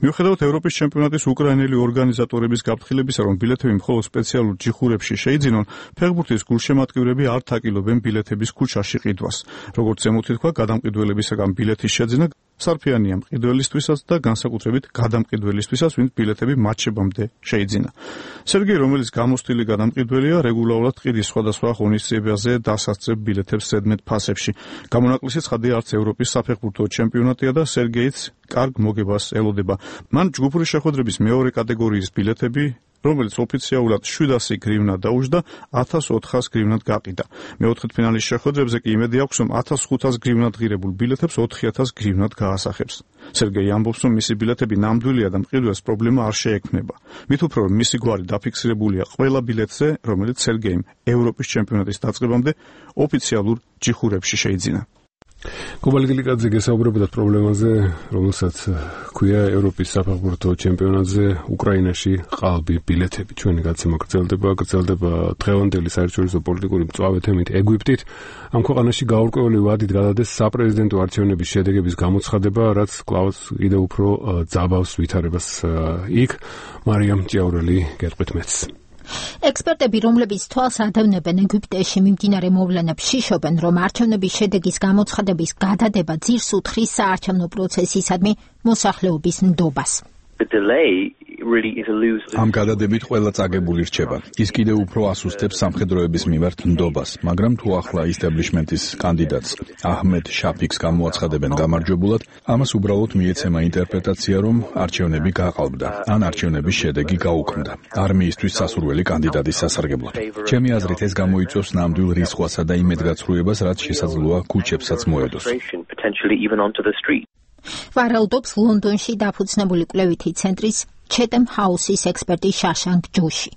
მიუხედავად ევროპის ჩემპიონატის უკრაინელი ორგანიზატორების გაფრთხილებისა, რომ ბილეთები მხოლოდ სპეციალურ ჯიხურებში შეიძინონ, ფეხბურთის გულშემატკივრები არ თაკილობენ ბილეთების ქუჩაში ყიდვას. როგორც ზემოთ ითქვა, გადამყიდველებისაგან ბილეთის შეძენა სარფიანია მყიდველისთვისაც და განსაკუთრებით გადამყიდველისთვისაც, ვინც ბილეთები მატჩებამდე შეიძინა. სერგეი, რომელიც გამოსტილი გადამყიდველია, რეგულარულად ყიდის სხვადასხვა ღონისძიებაზე დასასწრებ ბილეთებს ზედმეტ ფასებში. გამონაკლისი ცხადია, არც ევროპის საფეხბურთო ჩემპიონატია და სერგეიც კარგ მოგებას ელოდება. მან ჯგუფური შეხვედრების მეორე კატეგორიის ბილეთები, რომელიც ოფიციალურად შვიდასი გრივნა დაუჯდა, ათას ოთხას გრივნად გაყიდა. მეოთხედფინალის შეხვედრებზე კი იმედი აქვს, რომ ათას ხუთას გრივნად ღირებულ ბილეთებს ოთხი ათას გრივნად გაასახებს. სერგეი ამბობს, რომ მისი ბილეთები ნამდვილია და მყიდველს პრობლემა არ შეექმნება. მით უფრო, რომ მისი გვარი დაფიქსირებულია ყველა ბილეთზე, რომელიც სერგეიმ ევროპის ჩემპიონატის დაწყებამდე ოფიციალურ ჯიხურებში შეიძინა. კობალიკლიკაძე გესაუბრებოდა პრობლემაზე, რომელსაც ქვია ევროპის საფეხბურთო ჩემპიონატზე უკრაინაში ყალბი ბილეთები. ჩვენი გაცემა გრძელდება, გრძელდება დღევანდელი საერთაშორისო პოლიტიკური მწვავე თემით ეგვიპტით. ამ ქვეყანაში გაურკვეველი ვადით გადადეს საპრეზიდენტო არჩევნების შედეგების გამოცხადება, რაც კვლავაც კიდევ უფრო ძაბავს ვითარებას იქ. მარიამ ჭიაურელი გეტყვით მეც. ექსპერტები, რომლებიც თვალს ადევნებენ ეგვიპტეში მიმდინარე მოვლენებს, შიშობენ, რომ არჩევნების შედეგის გამოცხადების გადადება ძირს უთხრის საარჩევნო პროცესისადმი მოსახლეობის ნდობას. ამ გადადებით ყველა წაგებული რჩება. ის კიდევ უფრო ასუსტებს სამხედროების მიმართ ნდობას, მაგრამ თუ ახლა ისტაბლიშმენტის კანდიდატს აჰმედ შაფიქს გამოაცხადებენ გამარჯვებულად, ამას უბრალოდ მიეცემა ინტერპრეტაცია, რომ არჩევნები გაყალბდა, ან არჩევნების შედეგი გაუქმდა. არმიისთვის სასურველი კანდიდატის სასარგებლოდ. ჩემი აზრით ეს გამოიწვევს ნამდვილ რისხვასა და იმედგაცრუებას, რაც შესაძლოა ქუჩებსაც მოედოს. ვარაუდობს ლონდონში დაფუძნებული კვლევითი ცენტრის ჩეთემ ჰაუსის ექსპერტი შაშანკ ჯოში.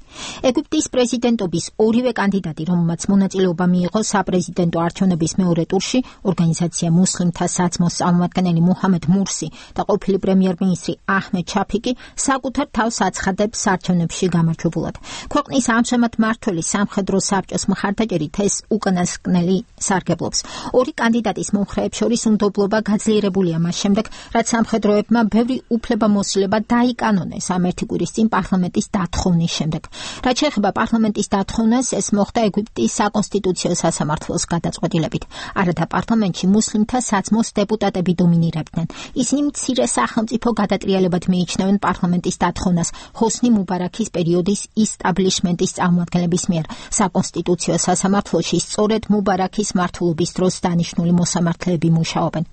ეგვიპტის პრეზიდენტობის ორივე კანდიდატი, რომელმაც მონაწილეობა მიიღო საპრეზიდენტო არჩევნების მეორე ტურში, ორგანიზაცია მუსლიმთა საცმოს წარმომადგენელი მუჰამედ მურსი და ყოფილი პრემიერ-მინისტრი აჰმედ შაფიკი, საკუთარ თავს აცხადებს არჩევნებში გამარჯვებულად. ქვეყნის ამჟამად მმართველი სამხედრო საბჭოს მხარდაჭერით ეს უკანასკნელი სარგებლობს. ორი კანდიდატის მომხრეებს შორის უნდობლობა გაძლიერებულია მას შემდეგ, რაც სამხედროებმა ბევრი უფლებამოსილება დაიკანონეს ამ ერთი კვირის წინ პარლამენტის დათხოვნის შემდეგ. რაც შეეხება პარლამენტის დათხოვნას, ეს მოხდა ეგვიპტის საკონსტიტუციო სასამართლოს გადაწყვეტილებით. არათა პარლამენტში მუსლიმთა საძმოს დეპუტატები დომინირებდნენ. ისინი მცირე სახელმწიფო გადატრიალებად მიიჩნევენ პარლამენტის დათხოვნას ჰოსნი მუბარაქის პერიოდის ისტაბლიშმენტის წარმომადგენლების მიერ. საკონსტიტუციო სასამართლოში სწორედ მუბარაქის მმართველობის დროს დანიშნული მოსამართლეები მუშაობენ.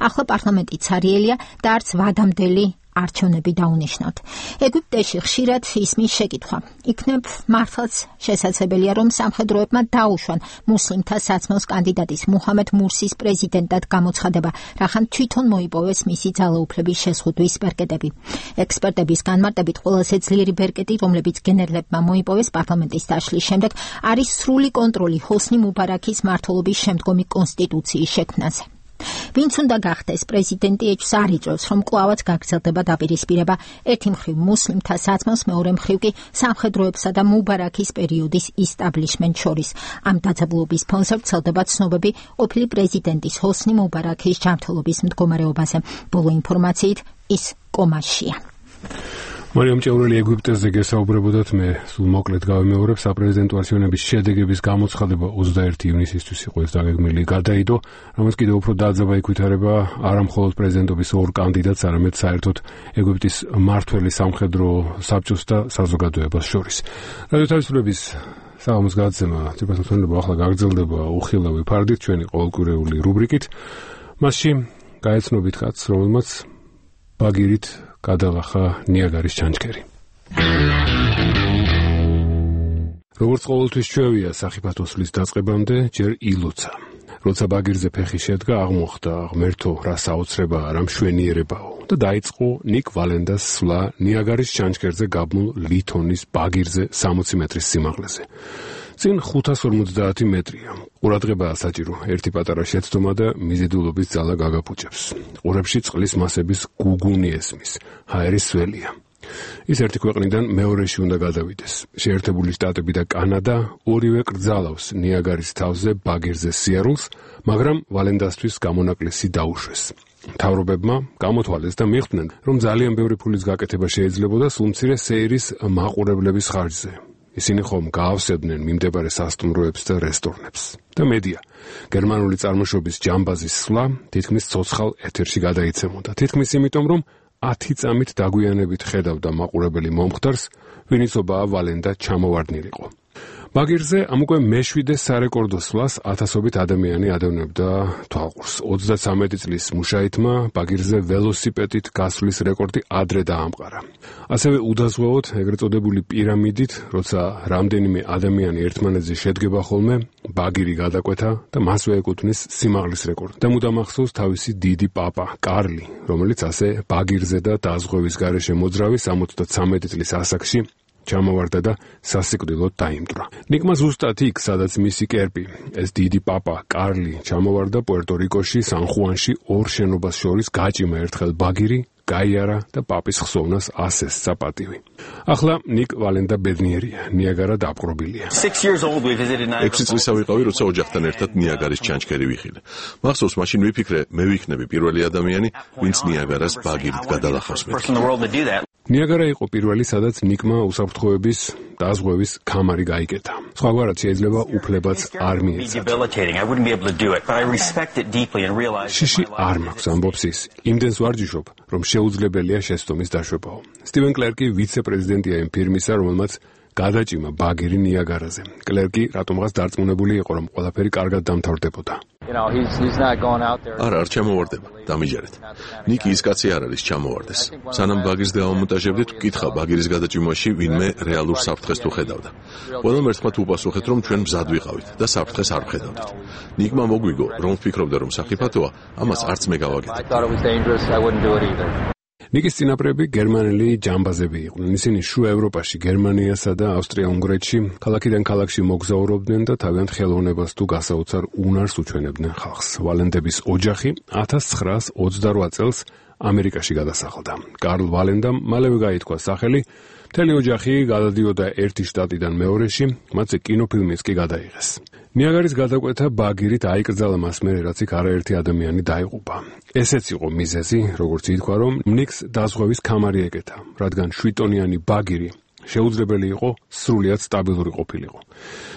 ახლა პარლამენტი ცარიელია და არც ვადამდელი არჩევნები დაუნიშნავთ. ეგვიპტეში ხშირად ისმის შეკითხვა. იქნებ მართლაც შესაძლებელია, რომ სამხედროებმა დაუშვან მუსლიმთა საძმოს კანდიდატის მუჰამედ მურსის პრეზიდენტად გამოცხადება, რახან თვითონ მოიპოვეს მისი ძალაუფლების შეზღუდვის ბერკეტები. ექსპერტების განმარტებით ყველაზე ძლიერი ბერკეტი, რომლებიც გენერლებმა მოიპოვეს პარლამენტის დაშლის შემდეგ, არის სრული კონტროლი ჰოსნი მუბარაქის მმართველობის შემდგომი კონსტიტუციის შექმნაზე. ვინც უნდა გახდეს პრეზიდენტი, ეჭვს არ იწვევს, რომ კვლავაც გაგრძელდება დაპირისპირება ერთი მხრივ მუსლიმთა საძმოს, მეორე მხრივ კი სამხედროებსა და მუბარაქის პერიოდის ისტაბლიშმენტ შორის. ამ დაძაბულობის ფონზე ვრცელდება ცნობები ყოფილი პრეზიდენტის ჰოსნი მუბარაქის ჯანმრთელობის მდგომარეობაზე. ბოლო ინფორმაციით ის კომაშია. მარიამ ჭეურელი ეგვიპტეზე გესაუბრებოდათ, მე სულ მოკლედ გავიმეორებ. საპრეზიდენტო არჩევნების შედეგების გამოცხადება ოცდაერთი ივნისისთვის იყო ეს დაგეგმილი გადაიდო, რომელიც კიდევ უფრო დაძაბა იქვითარება არა მხოლოდ პრეზიდენტობის ორ კანდიდატს, არამედ საერთოდ ეგვიპტის მმართველი სამხედრო საბჭოს და საზოგადოებას შორის. რადიო თავისუფლების საღამოს გადაცემა ციფროსამსახურება ახლა გაგრძელდება უხილავი ფარდით ჩვენი ყოველკვირეული რუბრიკით. მასში გაეცნობით ხატს, რომელმაც ბაგირით გადალახა ნიაგარის ჩანჩქერი. როგორც ყოველთვის ჩვევია სახიფათო სვლის დაწყებამდე ჯერ ილოცა. როცა ბაგირზე ფეხი შედგა, აღმოხდა ღმერთო რა საოცრებაა, რა მშვენიერებაო და დაიწყო ნიკ ვალენდას სვლა ნიაგარის ჩანჩქერზე გაბმულ ლითონის ბაგირზე სამოცი მეტრის სიმაღლეზე. წინ ხუთას ორმოცდაათი მეტრია. ყურადღებაა საჭირო. ერთი პატარა შეცდომა და მიზიდულობის ძალა გაგაფუჭებს. ყურებში წყლის მასების გუგუნი ესმის. ჰაერის სველია. ის ერთი ქვეყნიდან მეორეში უნდა გადავიდეს. შეერთებული შტატები და კანადა ორივე კრძალავს ნიაგარის თავზე ბაგირზე სიარულს, მაგრამ ვალენდასთვის გამონაკლისი დაუშვეს. მთავრობებმა გამოთვალეს და მიხვდნენ, რომ ძალიან ბევრი ფულის გაკეთება შეიძლებოდა სულმცირე სეირის მაყურებლების ხარჯზე. ისინი ხომ გაავსებდნენ მიმდებარე სასტუმროებს და რესტორნებს. და მედია, გერმანული წარმოშობის ჯამბაზის სვლა თითქმის ცოცხალ ეთერში გადაიცემოდა. თითქმის იმიტომ, რომ ათი წამით დაგვიანებით ხედავდა მაყურებელი მომხდარს, ვინიცობაა ვალენდა ჩამოვარდნილიყო. ბაგირზე ამ უკვე მეშვიდე სარეკორდო სვლას ათასობით ადამიანი ადევნებდა თვალყურს. ოცდაცამეტი წლის მუშაითმა ბაგირზე ველოსიპედით გასვლის რეკორდი ადრე დაამყარა. ასევე უდაზღვევოთ ეგრეთ წოდებული პირამიდით, როცა რამდენიმე ადამიანი ერთმანეთზე შედგება ხოლმე, ბაგირი გადაკვეთა და მასვე ეკუთვნის სიმაღლის რეკორდი. და მუდამ ახსოვს თავისი დიდი პაპა, კარლი, რომელიც ასე ბაგირზე და დაზღვევის გარეშე მოძრავი სამოცდაცამეტი წლის ასაკში ჩამოვარდა და სასიკვდილოდ დაიმტვრა. ნიკმა ზუსტად იქ, სადაც მისი კერპი, ეს დიდი პაპა, კარლი, ჩამოვარდა პუერტო-რიკოში, სან-ხუანში ორ შენობას შორის გაჭიმა ერთხელ ბაგირი, გაიარა და პაპის ხსოვნას ასესცა პატივი. ახლა ნიკ ვალენდა ბედნიერია, ნიაგარა დაპყრობილია. ექვსი წლისა ვიყავი, როცა ოჯახთან ერთად ნიაგარის ჩანჩქერი ვიხილე. მახსოვს, მაშინ ვიფიქრე, მე ვიქნები პირველი ადამიანი, ვინც ნიაგარას ბაგირით გადალახავს მეთქი. ნიაგარა იყო პირველი, სადაც ნიკმა უსაფრთხოების დაზღვევის კამარი გაიკეთა. სხვაგვარად შეიძლება უფლებაც არ მიეცათ. შიში არ მაქვს, ამბობს ის. იმდენს ვარჯიშობ, რომ შეუძლებელია შეცდომის დაშვებაო. სტივენ კლერკი ვიცე-პრეზიდენტია იმ ფირმისა, რომელმაც გადაჭიმა ბაგირი ნიაგარაზე. კლერკი რატომღაც დარწმუნებული იყო, რომ ყველაფერი კარგად დამთავრდებოდა. არა, არ ჩამოვარდება, დამიჯერეთ. ნიკი ის კაცი არ არის ჩამოვარდეს. სანამ ბაგირს დავამონტაჟებდით, ვკითხა ბაგირის გადაჭიმაში ვინმე რეალურ საფრთხეს თუ ხედავდა. ყველამ ერთმანეთს უპასუხეთ, რომ ჩვენ მზად ვიყავით და საფრთხეს არ ვხედავდით. ნიკმა მოგვიგო, რომ ვფიქრობდა, რომ საფრთხეა, ამას არც მე გავაკეთე. ნიკის წინაპრები გერმანელი ჯამბაზები იყვნენ. ისინი შუა ევროპაში, გერმანიასა და ავსტრია-უნგრეთში, ქალაქიდან ქალაქში მოგზაურობდნენ და თავიანთ ხელოვნებას თუ გასაოცარ უნარს უჩვენებდნენ ხალხს. ვალენდების ოჯახი ათას ცხრაას ოცდარვა წელს ამერიკაში გადასახლდა. კარლ ვალენდამ მალევე გაითქვა სახელი, მთელი ოჯახი გადადიოდა ერთი შტატიდან მეორეში, მათზე კინოფილმიც კი გადაიღეს. ნიაგარის გადაკვეთა ბაგირით აიკრძალა მას მერე, რაც იქ არაერთი ადამიანი დაიღუპა. ესეც იყო მიზეზი, როგორც ითქვა, რომ ნიკს დაზღვევის კამარი ეკეთა, რადგან შვიდტონიანი ბაგირი შეუძლებელი იყო სრულიად სტაბილური ყოფილიყო.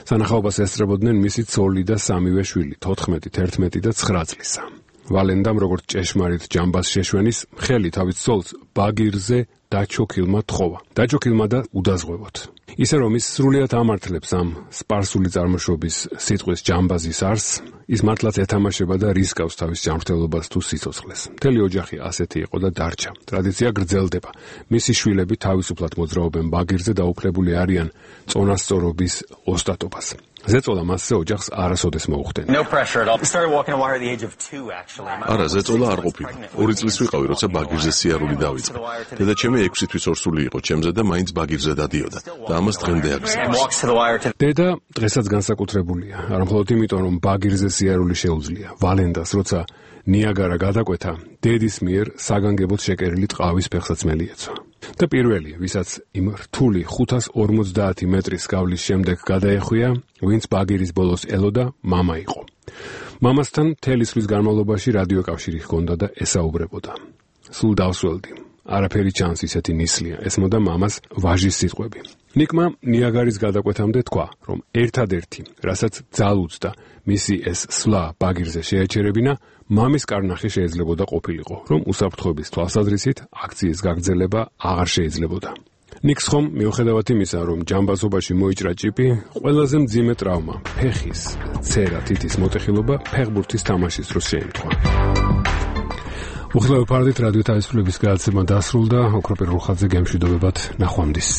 სანახაობას ესწრებოდნენ მისი ცოლი და სამივე შვილი, თოთხმეტი, თერთმეტი და ცხრა წლისა. ვალენდამ როგორც ჭეშმარიტ ჯამბას შეშვენის ხელი თავის ცოლს ბაგირზე დაჩოქილმა თხოვა. დაჩოქილმა და udazღვევოთ. ისე რომ ის სრულიად ამართლებს ამ სპარსული წარმოშობის სიტყვის ჯამბაზის არსს, ის მართლაც ეთამაშება და რისკავს თავის ჯანმრთელობას თუ სიცოცხლეს. მთელი ოჯახი ასეთი იყო და დარჩა. ტრადიცია გრძელდება. მისი შვილები თავისუფლად მოძრაობენ ბაგირზე და უფლებული არიან წონასწორობის ოსტატობას. ზეწოლა მასზე ოჯახს არასოდეს მოუხდენია. არა, ზეწოლა არ ყოფილა. ორი წლის ვიყავი, როცა ბაგირზე სიარული დავიწყე. დედაჩემი ექვსი თვის ორსული იყო ჩემზე და მაინც ბაგირზე დადიოდა და ამას დღემდე აგრძელებს. დედა დღესაც განსაკუთრებულია, არა მხოლოდ იმიტომ, რომ ბაგირზე სიარული შეუძლია. ვალენდას, როცა ნიაგარა გადაკვეთა, დედის მიერ საგანგებოდ შეკერილი ტყავის ფეხსაცმელი ეცვა. და პირველი, ვისაც იმ რთული ხუთას ორმოცდაათი მეტრის გავლის შემდეგ გადაეხვია, ვინც ბაგირის ბოლოს ელოდა, მამა იყო. მამასთან მთელი წლის განმავლობაში რადიოკავშირი ჰქონდა და ესაუბრებოდა. სულ დავსველდი. არაფერი ჩანს ისეთი ნისლია, ესმოდა მამას ვაჟის სიტყვები. ნიკმა ნიაგარის გადაკვეთამდე თქვა, რომ ერთადერთი, რასაც ძალუძდა მისი ეს სვლა ბაგირზე შეეჩერებინა, მამის კარნახი შეიძლებოდა ყოფილიყო, რომ უსაფრთხოების თვალსაზრისით აქციის გაგრძელება აღარ შეიძლებოდა. ნიკს ხომ მიუხედავად იმისა, რომ ჯამბაზობაში მოიჭრა ჭიპი, ყველაზე მძიმე ტრავმა, ფეხის ცერა თითის მოტეხილობა ფეხბურთის თამაშის დროს შეემთხვა. უხლავ ფარდით რადიო თავისუფლების გადაცემა დასრულდა. ოქროპირ რუხაძე გემშვიდობებად, ნახვამდის.